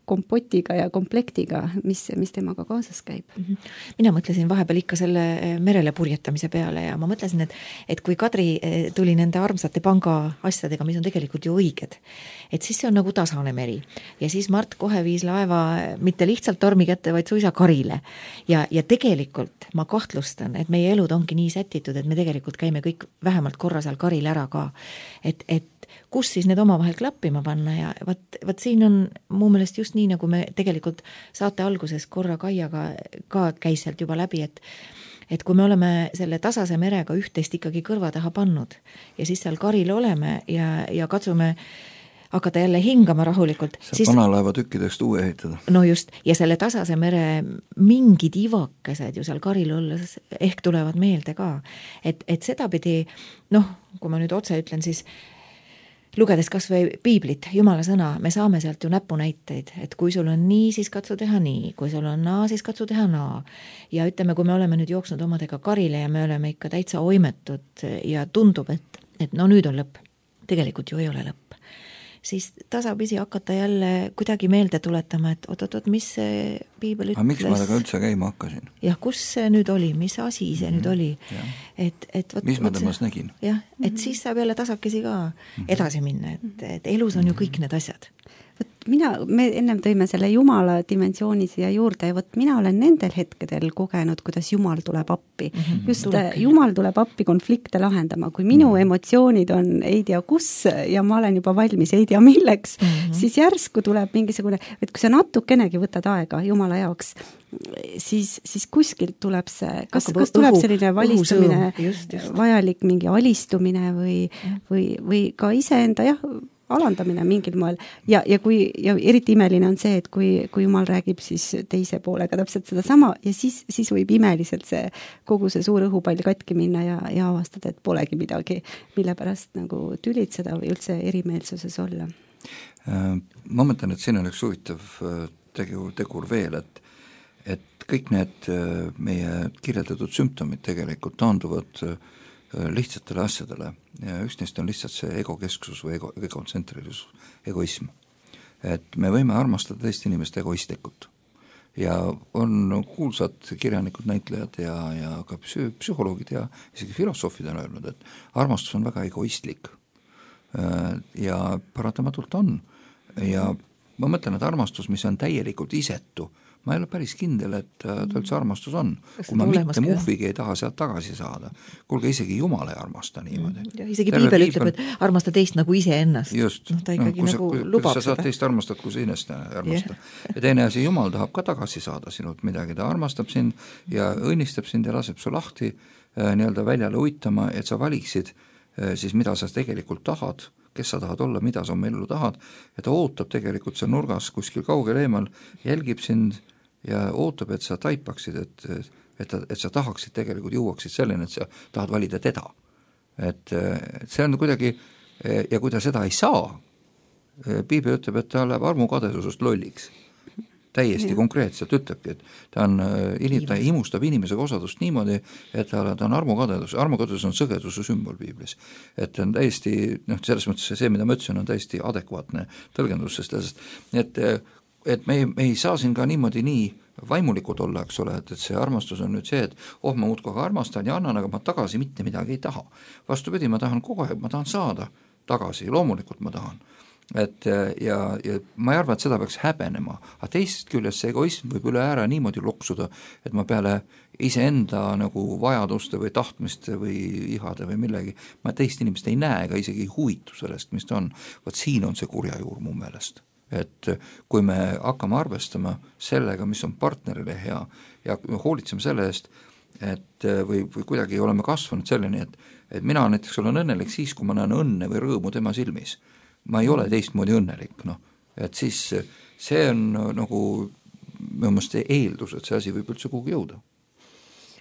kompotiga ja komplektiga, mis, mis temaga kaasas käib. Mina mõtlesin vahepeal ikka selle merele purjetamise peale ja ma mõtlesin, et, et kui Kadri tuli nende armsate panga asjadega, mis on tegelikult ju õiged, et siis see on nagu tasane meri. Ja siis Mart kohe viis laeva mitte lihtsalt tormi kätte, vaid suisa karile. Ja, ja tegelikult ma kahtlustan, et meie elud ongi nii sätitud, et me tegelikult käime kõik vähemalt korra seal karil ära ka. Et, et kus siis need omavahel klappima panna ja vaat, vaat siin on mu meelest just nii, nagu me tegelikult saate alguses korra Kaiaga ka käis sealt juba läbi, et et kui me oleme selle tasase merega üht-teist ikkagi kõrva taha pannud ja siis seal karil oleme ja, ja katsume hakata jälle hingama rahulikult. Saab siis, vanalaeva tükkidest uue ehitada. No just, ja selle tasase mere mingid ivakesed ju seal karil olles ehk tulevad meelde ka. Et, et seda pidi, noh, kui ma nüüd otse ütlen, siis lugedes kas või piiblit, Jumala sõna, me saame sealt ju näpunäiteid, et kui sul on nii, siis katsu teha nii, kui sul on naa, siis katsu teha naa. Ja ütleme, kui me oleme nüüd jooksnud omadega karile ja me oleme ikka täitsa oimetud ja tundub, et, et no nüüd on lõpp. Tegelikult ju ei ole lõpp. Siis tasapisi hakata jälle kuidagi meelde tuletama, et oot-oot, mis see piibel ütles. Aga miks ma temaga üldse käima hakkasin? Jah, kus see nüüd oli, mis asi see mm-hmm. nüüd oli? Et, et, võt, mis ma temas nägin? Jah, et mm-hmm. siis saab jälle tasakesi ka edasi minna, et, et elus on ju kõik need asjad. Võt mina, me ennem tõime selle Jumala dimensiooni siia juurde ja võt mina olen nendel hetkedel kogenud, kuidas Jumal tuleb appi. Mm-hmm. Just Tulebki. Jumal tuleb appi konflikte lahendama. Kui minu mm-hmm. emotsioonid on ei tea kus ja ma olen juba valmis ei tea milleks, mm-hmm. siis järsku tuleb mingisugune, et kui sa natukenegi võtad aega Jumala jaoks, siis, siis kuskilt tuleb see, kas, kas tuleb õhu, selline valistumine, just, just. vajalik mingi alistumine või, mm. või, või ka iseenda jah, alandamine mingil moel ja, ja kui ja eriti imeline on see, et kui, kui Jumal räägib siis teise poolega täpselt seda sama ja siis, siis võib imeliselt see kogu see suur õhupall katki minna ja, ja avastada, et polegi midagi, mille pärast nagu tülitseda või üldse erimeelsuses olla. Ma mõtlen, et siin on üks huvitav tegur, tegur veel, et et kõik need meie kirjeldatud sümptomid tegelikult taanduvad lihtsatele asjadele ja üks neist on lihtsalt see egokesksus või ego, egotsentrilisus, egoism. Et me võime armastada teist inimest egoistlikult ja on kuulsad kirjanikud, näitlejad ja, ja ka psühholoogid ja isegi filosoofid on öelnud, et armastus on väga egoistlik ja paratamatult on ja ma mõtlen, et armastus, mis on täielikult isetu, ma ei ole päris kindel, et ta üldse armastus on. Kui ma mitte muhvigi ei taha sealt tagasi saada. Kuulge, isegi Jumal ei armasta niimoodi. Ja isegi Terve piibel ütleb, et armasta teist nagu ise ennast. Just. No, ta ikkagi no, nagu sa, lubab sa saad teist armastad, kui sa ennast armasta. Yeah. Ja teine asi, Jumal tahab ka tagasi saada sinult midagi. Ta armastab sind ja õnnistab sind ja laseb su lahti äh, nii-öelda väljale uitama, et sa valiksid äh, siis mida sa tegelikult tahad, kes sa tahad olla, mida sa oma ellu tahad, ja ta ootab tegelikult seal nurgas kuskil kaugel eemal, jälgib sind ja ootab, et sa taipaksid, et, et, ta, et sa tahaksid tegelikult jõuaksid selleni, et sa tahad valida teda. Et, et see on kuidagi, ja kui ta seda ei saa, piibel ütleb, et ta läheb armukadesusest lolliks. Täiesti ja. Konkreetselt ütlebki, et ta, on, ta imustab inimesega osadust niimoodi, et ta, ta on armukadedus. Armukadedus on sõgeduse sümbol piiblis. Et on täiesti, noh, selles mõttes see, mida ma ütlesin, on täiesti adekvaatne tõlgendus, sest et, et me ei, me ei saa siin ka niimoodi nii vaimulikud olla, eks ole, et, et see armastus on nüüd see, et oh, ma muudkui armastan ja annan, aga ma tagasi mitte midagi ei taha. Vastupidi, ma tahan kogu aeg, ma tahan saada tagasi, loomulikult ma tahan. Et ja, ja ma ei arva, et seda peaks häbenema, aga teisest küljest see egoism võib üle ääre niimoodi loksuda, et ma peale iseenda nagu vajaduste või tahtmiste või ihade või millegi, ma teist inimest ei näe ega isegi ei huvitu sellest, mis ta on. Vaat siin on see kurja juur mu meelest. Et kui me hakkame arvestama sellega, mis on partnerile hea ja hoolitseme selle eest, et või, või kuidagi oleme kasvanud selleni, et, et mina näiteks olen õnnelik siis, kui ma näen õnne või rõõmu tema silmis. Ma ei ole teistmoodi õnnelik, noh, et siis see on nagu minu meelest eeldus, et see asi võib üldse kuhugi jõuda.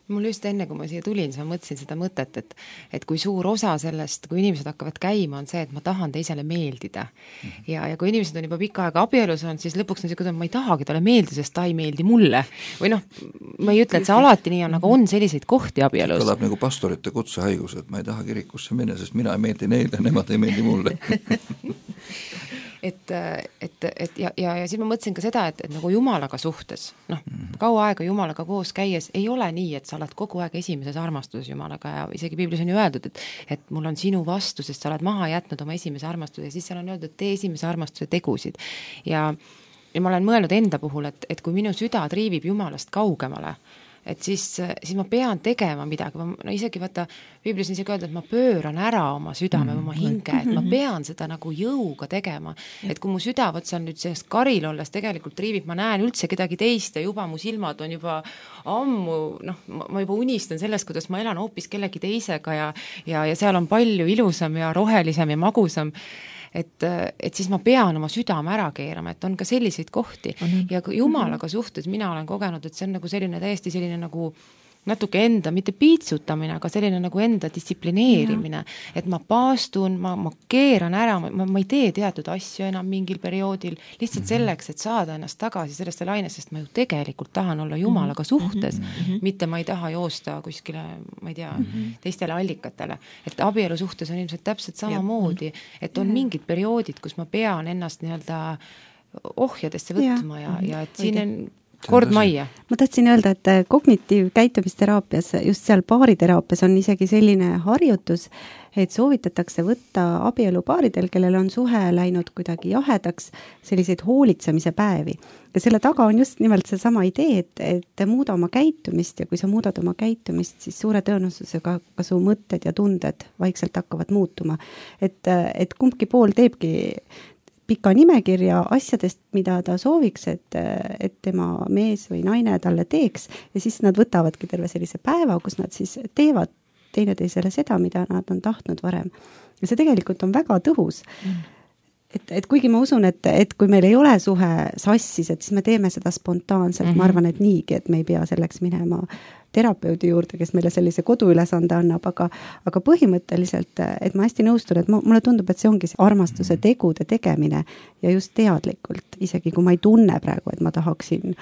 Mul just enne, kui ma siia tulin, siis ma mõtlesin seda mõtet, et, et kui suur osa sellest, kui inimesed hakkavad käima, on see, et ma tahan teisele meeldida. Mm-hmm. Ja, ja kui inimesed on juba pikka aega abielus on, siis lõpuks on see, ma ei tahagi talle meeldida, sest ta ei meeldi mulle. Või noh, ma ei ütle, et see alati nii on, aga on selliseid kohti abielus. Kõlab nagu pastorite kutsehaigus, et ma ei taha kirikusse minna, sest mina ei meeldi neile, nemad ei meeldi mulle. et, et, et ja, ja, ja siis ma mõtlesin ka seda, et, et nagu Jumalaga suhtes, noh, kaua aega Jumalaga koos käies ei ole nii, et sa oled kogu aeg esimeses armastuses Jumalaga ja isegi Piiblis on ju öeldud, et, et mul on sinu vastu, sest sa oled maha jätnud oma esimese armastuse ja siis seal on öeldud, et tee esimese armastuse tegusid. Ja, ja ma olen mõelnud enda puhul, et, et kui minu süda triivib Jumalast kaugemale, et siis, siis ma pean tegema midagi, ma, no isegi vaata, Piiblis on isegi öelda, et ma pööran ära oma südame, oma hinge, et ma pean seda nagu jõuga tegema, et kui mu süda, võt seal nüüd sellest karil olles tegelikult triivib, ma näen üldse kedagi teist ja juba mu silmad on juba ammu, noh, ma juba unistan sellest, kuidas ma elan hoopis kellegi teisega ja, ja, ja seal on palju ilusam ja rohelisem ja magusam, et, et siis ma pean oma südame ära keerama, et on ka selliseid kohti mm-hmm. ja Jumalaga suhtes mina olen kogenud, et see on nagu selline täiesti selline nagu natuke enda, mitte piitsutamine, aga selline nagu enda distsiplineerimine, et ma paastun, ma, ma keeran ära, ma, ma ei tee teatud asju enam mingil perioodil, lihtsalt mm-hmm. selleks, et saada ennast tagasi sellesse lainest, sest ma ju tegelikult tahan olla Jumalaga suhtes, mm-hmm. mitte ma ei taha joosta kuskile, ma ei tea, mm-hmm. teistele allikatele. Et abielu suhtes on ilmselt täpselt samamoodi, et on mingid perioodid, kus ma pean ennast nii-öelda ohjadesse võtma ja, ja, ja et siin on kord majja. Ma tahtsin öelda, et kognitiivkäitumisteraapias, just seal baariteraapias on isegi selline harjutus, et soovitatakse võtta abielupaaridel, kellel on suhe läinud kuidagi jahedaks, selliseid hoolitsemise päevi. Ja selle taga on just nimelt see sama idee, et, et muuda oma käitumist ja kui sa muudad oma käitumist, siis suure tõenäosusega ka su mõtted ja tunded vaikselt hakkavad muutuma. Et, et kumbki pool teebki pika nimekirja asjadest, mida ta sooviks, et, et tema mees või naine talle teeks ja siis nad võtavadki terve sellise päeva, kus nad siis teevad teineteisele seda, mida nad on tahtnud varem. Ja see tegelikult on väga tõhus. Mm. Et, et kuigi ma usun, et, et kui meil ei ole suhe sassis, et siis me teeme seda spontaanselt, mm-hmm. ma arvan, et niigi, et me ei pea selleks minema terapeudi juurde, kes meile sellise koduülesande annab, aga, aga põhimõtteliselt, et ma hästi nõustun, et mulle tundub, et see ongi see armastuse tegude tegemine ja just teadlikult, isegi kui ma ei tunne praegu, et ma tahaksin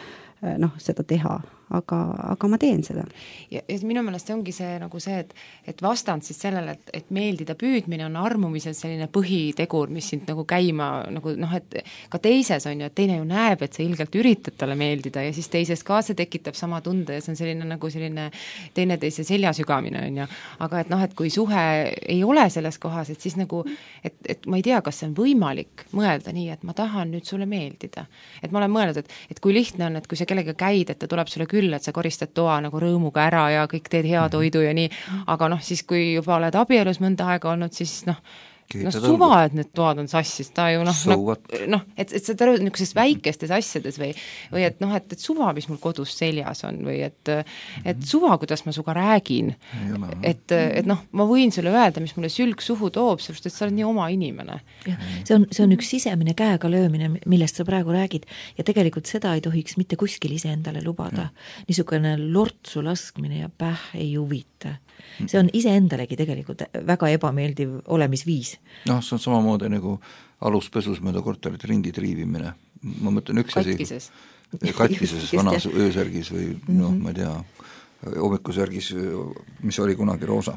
noh, seda teha, aga, aga ma teen seda. Ja, ja minu meelest see ongi see, nagu see, et, et vastand siis sellele, et, et meeldida püüdmine on armumisel selline põhitegur, mis sind nagu käima, nagu noh, et ka teises on ju, et teine ju näeb, et sa ilgelt üritad talle meeldida ja siis teises ka see tekitab sama tunde ja see on selline nagu selline teineteise seljasügamine on ju, aga et noh, et kui suhe ei ole selles kohas, et siis nagu, et, et ma ei tea, kas see on võimalik mõelda nii, et ma tahan nüüd sulle meeldida. Et ma olen mõelnud, et, et kui lihtne on, et kui sa kellega käid, et ta tuleb sulle küll, et sa koristad toa nagu rõõmuga ära ja kõik teed hea toidu ja nii, aga noh, siis kui juba oled abielus mõnda aega olnud, siis noh, no suva, et need toad on sassis, ta ju noh, so noh, no, et, et seda niisuguses väikestes asjades või, või et noh, et, et suva, mis mul kodus seljas on või et, et suva, kuidas ma suga räägin, et, et noh, ma võin sulle öelda, mis mulle sülg suhu toob, sellepärast, et sa oled nii oma inimene. Ja, see on, see on üks sisemine käega löömine, millest sa praegu räägid ja tegelikult seda ei tohiks mitte kuskil ise endale lubada. Niisugune lortsu laskmine ja päh ei huvita. See on iseendalegi tegelikult väga ebameeldiv olemisviis. Noh, see on samamoodi nagu aluspesus mööda korterit ringi triivimine. Ma mõtlen üks katkises. asi katkises vanas öösärgis või noh, ma ei tea, hommikusärgis, mis oli kunagi roosa.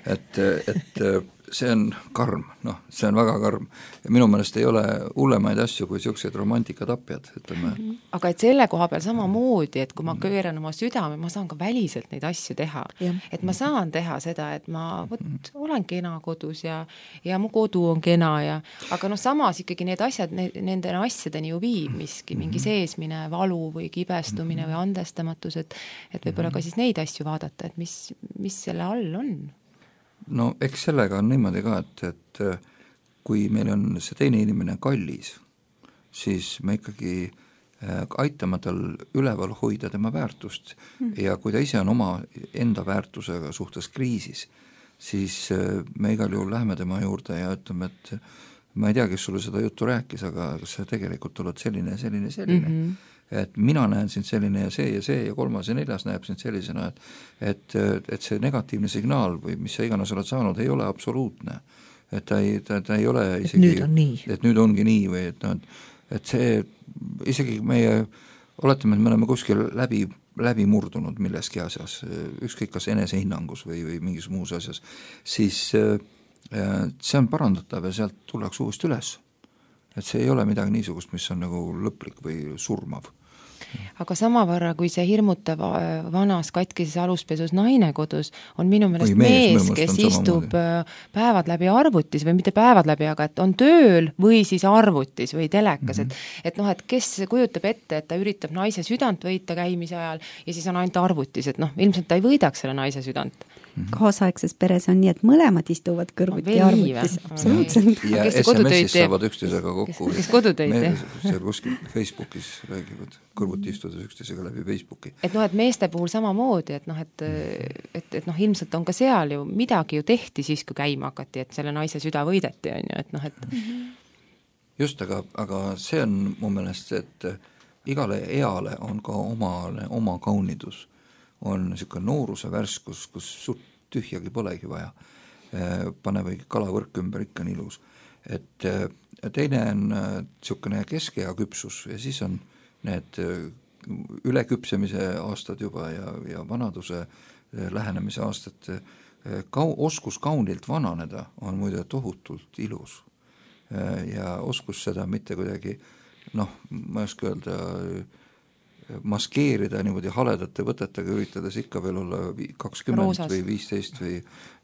Et, et see on karm, noh, see on väga karm. Ja minu meelest ei ole hullemaid asju kui sellised romantikatapjad, ütleme. Aga et selle koha peal samamoodi, et kui ma kööran oma südame, ma saan ka väliselt neid asju teha. Ja. Et ma saan teha seda, et ma võt, olen kena kodus ja, ja mu kodu on kena ja, aga noh, samas ikkagi need asjad, ne, nende asjadeni ju viib miski, mingi seesmine valu või kibestumine või andestamatus, et, et võib-olla ka siis neid asju vaadata, et mis, mis selle all on. No eks sellega on niimoodi ka, et, et kui meil on see teine inimene kallis, siis me ikkagi aitama tal üleval hoida tema väärtust mm. ja kui ta ise on oma enda väärtusega suhtes kriisis, siis me igal juhul läheme tema juurde ja ütleme, et ma ei tea, kes sulle seda juttu rääkis, aga kas sa tegelikult oled selline ja selline, selline. Mm -hmm. Et mina näen sind selline ja see ja see ja kolmas ja neljas näeb sind sellisena, et, et, et see negatiivne signaal või mis sa iganes oled saanud, ei ole absoluutne. Et ta ei, ta, ta ei ole isegi, et nüüd on nii. Et nüüd ongi nii või et, no, et see isegi meie, oletame, et me oleme kuskil läbi, läbi murdunud milleski asjas, ükskõik kas enesehinnangus või, või mingis muus asjas, siis see on parandatav ja sealt tullakse uuesti üles. Et see ei ole midagi niisugust, mis on nagu lõplik või surmav. Aga samavõrra, kui see hirmutav vanas katkises aluspesus naine kodus, on minu meelest mees, mees, kes istub päevad läbi arvutis või mitte päevad läbi, aga et on tööl või siis arvutis või telekas, mm -hmm. et, et noh, et kes kujutab ette, et ta üritab naise südant võita käimise ajal ja siis on ainult arvutis, et noh, ilmselt ta ei võidaks selle naise südant. Mm -hmm. Kaasaegses peres on nii, et mõlemad istuvad kõrvuti no, arvutis, absoluutselt. ja S M S-is saavad üksteisega kokku. Kes, kes kodutöid teeb? Seal kuskil Facebookis räägivad kõrvuti istudes üksteisega läbi Facebooki. Et noh, et meeste puhul samamoodi, et noh, et, et, et noh, ilmselt on ka seal ju midagi ju tehti siis, kui käima hakati, et selle naise süda võideti, on ju, et noh, et mm -hmm. just, aga, aga see on mu meelest, et igale eale on ka oma, oma kaunidus. On niisugune nooruse värskus, kus suht tühjagi polegi vaja. Pane või kalavõrk ümber, ikka on ilus. Et teine on niisugune keskea küpsus ja siis on need üleküpsemise aastad juba ja, ja vanaduse lähenemise aastad. Kau, oskus kaunilt vananeda on muide tohutult ilus. Ja oskus seda mitte kuidagi, noh, ma ei oska öelda, maskeerida niimoodi haledate võtetega, üritades ikka veel olla kakskümmend Roosas. Või viisteist või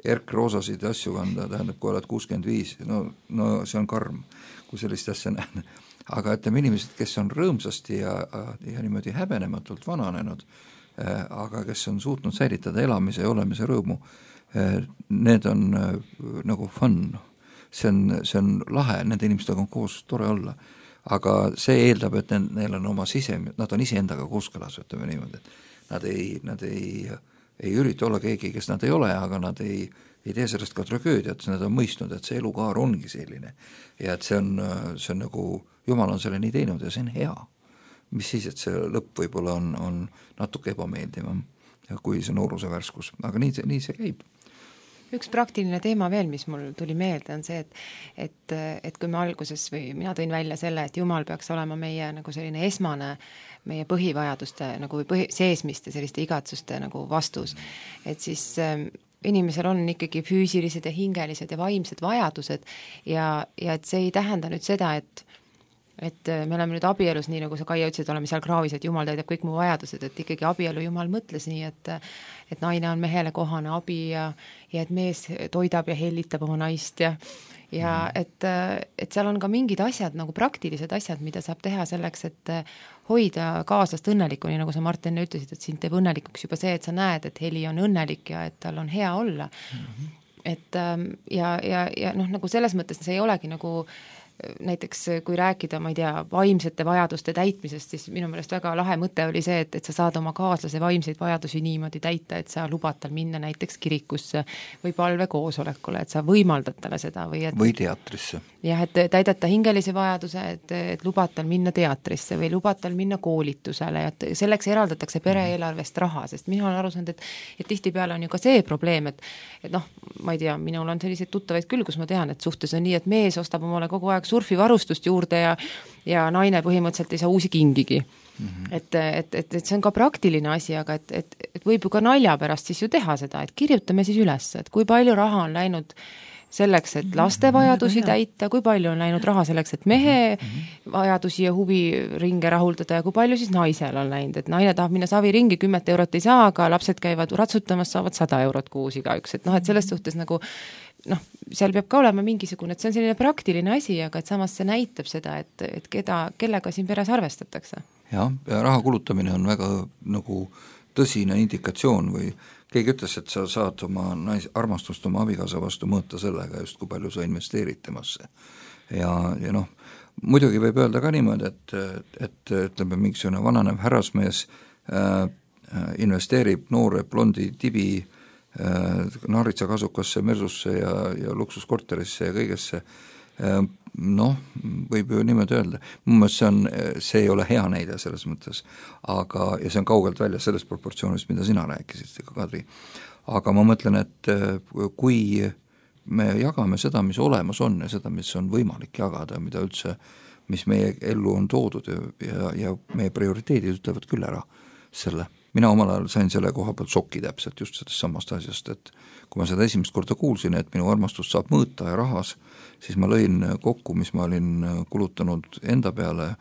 erkroosasid asju kanda, tähendab, kui oled kuuskümmend viis, no, no see on karm, kui sellist asja näen. Aga ütleme inimesed, kes on rõõmsasti ja, ja niimoodi häbenematult vananenud, aga kes on suutnud säilitada elamise ja olemise rõõmu, need on nagu fun. See on, see on lahe, nende inimestega on koos tore olla. Aga see eeldab, et neil on oma sise, nad on iseendaga kooskõlas, ütleme niimoodi, et nad ei, nad ei, ei ürita olla keegi, kes nad ei ole, aga nad ei, ei tee sellest ka tragöödiat, nad on mõistnud, et see elukaar ongi selline ja et see on, see on nagu, Jumal on selle nii teinud ja see on hea. Mis siis, et see lõpp võib-olla on, on natuke ebameeldivam kui see nooruse värskus, aga nii see, nii see käib. Üks praktiline teema veel, mis mul tuli meelde, on see, et, et, et kui me alguses või mina tõin välja selle, et Jumal peaks olema meie nagu selline esmane, meie põhivajaduste nagu või põhi, seesmiste selliste igatsuste nagu vastus, et siis äh, inimesel on ikkagi füüsilised ja hingelised ja vaimsed vajadused ja, ja et see ei tähenda nüüd seda, et et me oleme nüüd abielus, nii nagu sa Kaia ütlesid, oleme seal kraavis, et Jumal täidab kõik mu vajadused, et ikkagi abielu Jumal mõtles nii, et et naine on mehele kohane abi ja, ja et mees toidab ja hellitab oma naist ja ja et, et seal on ka mingid asjad, nagu praktilised asjad, mida saab teha selleks, et hoida kaaslast õnnelikku, nii nagu sa Martin ütlesid, et sind teeb õnnelikuks juba see, et sa näed, et Heli on õnnelik ja et tal on hea olla. Mm-hmm. Et ja, ja, ja noh, nagu selles mõttes see ei olegi nagu näiteks kui rääkida, ma ei tea, vaimsete vajaduste täitmisest, siis minu meelest väga lahe mõte oli see, et, et sa saad oma kaaslase vaimseid vajadusi niimoodi täita, et sa lubad tal minna näiteks kirikusse või palvekoosolekule, et sa võimaldad talle seda või et, või teatrisse. Jah, et täidad ta hingelise vajaduse, et, et lubad tal minna teatrisse või lubad tal minna koolitusele, et selleks eraldatakse pereeelarvest raha, sest mina olen aru saanud, et, et tihtipeale on ju ka see probleem, et, et noh, ma ei tea, minul on selliseid tuttavaid küll, kus ma tean, et suhtes on nii, et mees ostab omale kogu aeg surfivarustust juurde ja, ja naine põhimõtteliselt ei saa uusi kingigi. Mm-hmm. Et, et, et, et see on ka praktiline asi, aga et, et, et võib ju ka nalja pärast siis ju teha seda, et kirjutame siis üles, et kui palju raha on läinud selleks, et laste vajadusi täita, kui palju on läinud raha selleks, et mehe vajadusi ja huviringe rahuldada ja kui palju siis naisel on läinud, et naine tahab minna saviringi, kümmet eurot ei saa, aga lapsed käivad ratsutamas, saavad sada eurot kuus igaüks, et noh, et selles suhtes nagu noh, seal peab ka olema mingisugune, et see on selline praktiline asi, aga et samas see näitab seda, et, et keda, kellega siin peres arvestatakse. Jah, ja raha kulutamine on väga nagu tõsine indikatsioon või keegi ütles, et sa saad oma nais, armastust oma abikaasa vastu mõõta sellega just, kui palju sa investeerid temasse. Ja, ja noh, muidugi võib öelda ka niimoodi, et, et ütleme, mingisugune vananev härrasmees äh, investeerib noore blondi tibi äh, naaritsa-kasukasse, mersusse ja, ja luksuskorterisse ja kõigesse, äh, noh, võib ju niimoodi öelda. Mu mõttes see on, see ei ole hea näide selles mõttes, aga, ja see on kaugelt välja sellest proportsioonist, mida sina rääkisid, Kadri. Aga ma mõtlen, et kui me jagame seda, mis olemas on ja seda, mis on võimalik jagada, mida üldse, mis meie ellu on toodud ja, ja, ja meie prioriteedid ütlevad küll ära selle. Mina omal ajal sain selle koha pealt šoki täpselt just sellest samast asjast, et kui ma seda esimest korda kuulsin, et minu armastust saab mõõta ja rahas, siis ma lõin kokku, mis ma olin kulutanud enda peale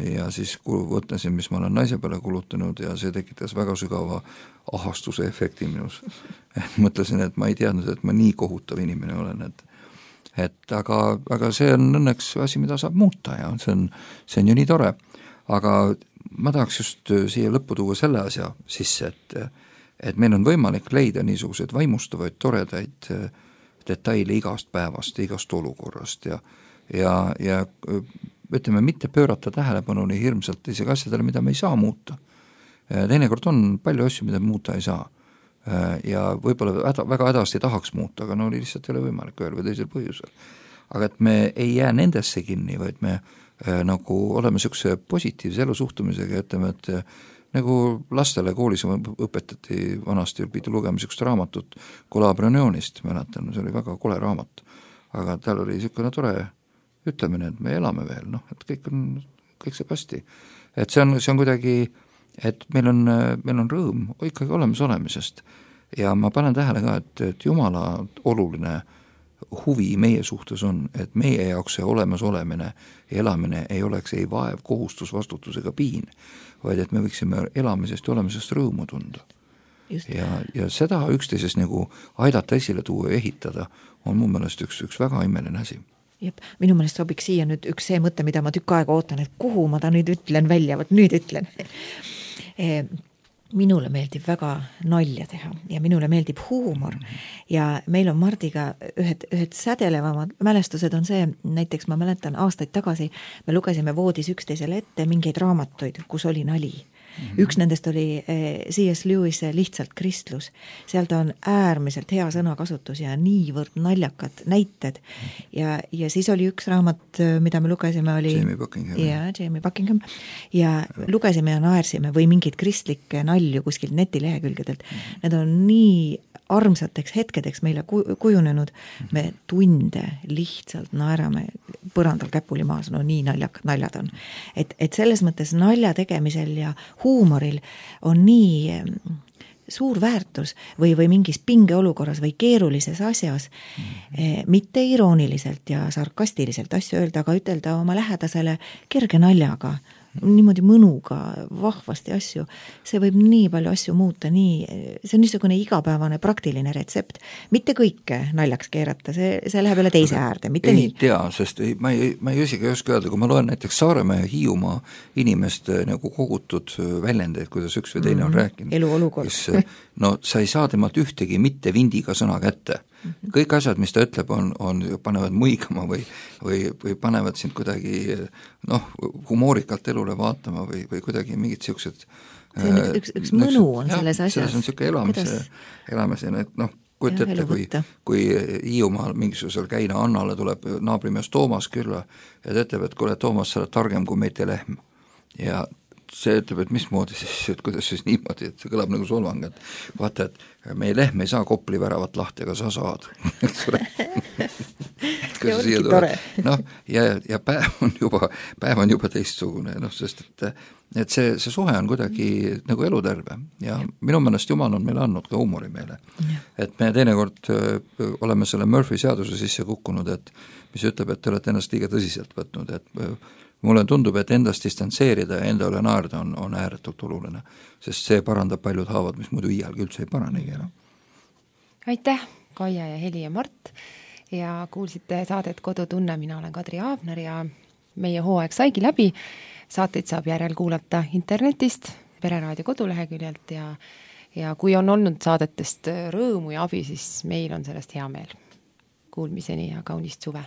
ja siis võtlesin, mis ma olen naise peale kulutanud ja see tekitas väga sügava ahastuse efekti minus. Mõtlesin, et ma ei teadnud, et ma nii kohutav inimene olen, et et aga, aga see on õnneks asi, mida saab muuta ja see on, see on ju nii tore. Aga ma tahaks just siia lõppu tuua selle asja sisse, et, et meil on võimalik leida niisuguseid vaimustavaid, toredaid detaile igast päevast, igast olukorrast ja, ja, ja ütleme, mitte pöörata tähelepanu nii hirmsalt isegi asjadele, mida me ei saa muuta. Teinekord on palju asju, mida muuta ei saa. Ja võib-olla häda, väga hädasti tahaks muuta, aga no lihtsalt ei ole võimalik ühel või teisel põhjusel. Aga et me ei jää nendesse kinni, vaid me äh, nagu oleme niisuguse positiivse elusuhtumisega ja ütleme, et äh, nagu lastele koolis õpetati vanasti, pidi lugema niisugust raamatut Kolabrionionist, mäletan, see oli väga kole raamat, aga tal oli niisugune tore ütlemine, et me elame veel, noh, et kõik on, kõik saab hästi. Et see on, see on kuidagi, et meil on, meil on rõõm ikkagi olemas olemisest ja ma panen tähele ka, et, et Jumala oluline huvi meie suhtes on, et meie jaoks see olemas olemine ja elamine ei oleks ei vaev, kohustus, vastutus ega piin, vaid et me võiksime elamisest ja olemisest rõõmu tunda. Ja, ja seda üksteises nagu aidata esile tuua ja ehitada on mu meelest üks, üks väga imeline asi. Jep, minu meelest sobiks siia nüüd üks see mõte, mida ma tükk aega ootan, et kuhu ma ta nüüd ütlen välja, võt nüüd ütlen. Minule meeldib väga nalja teha ja minule meeldib huumor ja meil on Mardiga ühed, ühed sädelevamad mälestused on see, näiteks ma mäletan aastaid tagasi, me lugesime voodis üksteisele ette mingeid raamatuid, kus oli nali. Mm-hmm. Üks nendest oli C S Lewis Lihtsalt kristlus. Seal ta on äärmiselt hea sõnakasutus ja niivõrd naljakad näited. Ja, ja siis oli üks raamat, mida me lugesime, oli Jamie Buckingham. Ja, Jamie Buckingham. Ja, ja lugesime ja naersime või mingid kristlikke nalju kuskilt netilehekülgedelt. Mm-hmm. Need on nii armsateks hetkedeks meile kujunenud. Me tunde lihtsalt naerame põrandal käpuli maas, no nii naljak, naljad on. Et, et selles mõttes nalja tegemisel ja huumoril on nii suur väärtus või, või mingis pingeolukorras või keerulises asjas mm-hmm. mitte irooniliselt ja sarkastiliselt asju öelda, aga ütelda oma lähedasele kerge naljaga, niimoodi mõnuga, vahvasti asju, see võib nii palju asju muuta, nii, see on niisugune igapäevane praktiline retsept, mitte kõike naljaks keerata, see, see läheb jälle teise äärde, mitte ei nii. Ei tea, sest ei, ma, ei, ma ei isegi ei oska öelda, kui ma loen näiteks Saaremaa ja Hiiumaa inimeste nagu kogutud väljendeid, kuidas üks või teine mm-hmm. on rääkinud. Eluolukord. Kus, no sa ei saa temalt ühtegi mitte vindiga sõna kätte. Kõik asjad, mis ta ütleb, on, on, panevad muigama või, või, või panevad sind kuidagi noh, humoorikalt elule vaatama või, või kuidagi mingid siuksed see on üks, üks, üks mõnu on jah, selles asjas. Selles on siuke elamise, elamise, et noh, kuid ette, kui, kui Hiiumaal mingisugusel käina Annale tuleb naabrimees Toomas külla ja ta ütleb, et kuule, Toomas, sa oled targem kui meite lehm ja see ütleb, et mismoodi siis, et kuidas siis niimoodi, et see kõlab nagu solvang, et vaata, et meie lehm ei saa Kopli väravat lahti, aga sa saad. noh, ja, ja päev on juba, päev on juba teistsugune, noh, sest et, et see, see suhe on kuidagi nagu eluterve ja minu meelest Jumal on meile andnud ka huumori meile. Et me teinekord oleme selle Murphy seaduse sisse kukkunud, et mis ütleb, et te olete ennast liiga tõsiselt võtnud, et mulle tundub, et endast distantseerida ja enda üle naerda on, on ääretult oluline, sest see parandab paljud haavad, mis muidu iialgi üldse ei paranegi enam. Aitäh, Kaia ja Heli ja Mart ja kuulsite saadet Kodutunne, mina olen Kadri Aabner ja meie hooaeg saigi läbi. Saateid saab järel kuulata internetist, Pereraadio koduleheküljelt ja, ja kui on olnud saadetest rõõmu ja abi, siis meil on sellest hea meel. Kuulmiseni ja kaunist suve!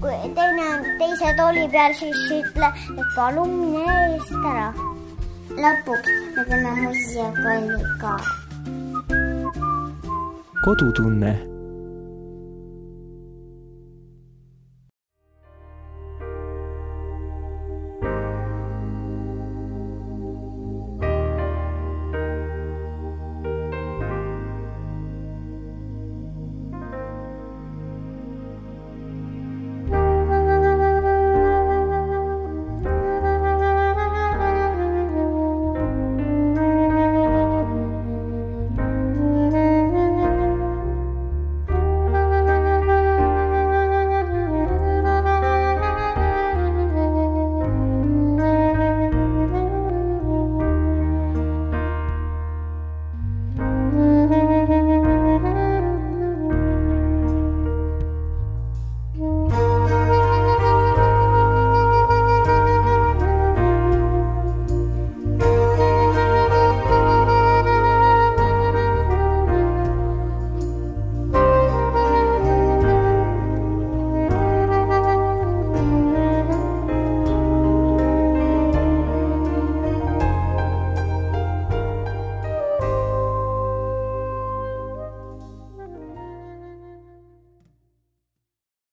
kui teine on teise tooli peal, siis ütle, et palun mine eest ära. Lõpuks me teeme muusikaga. Kodutunne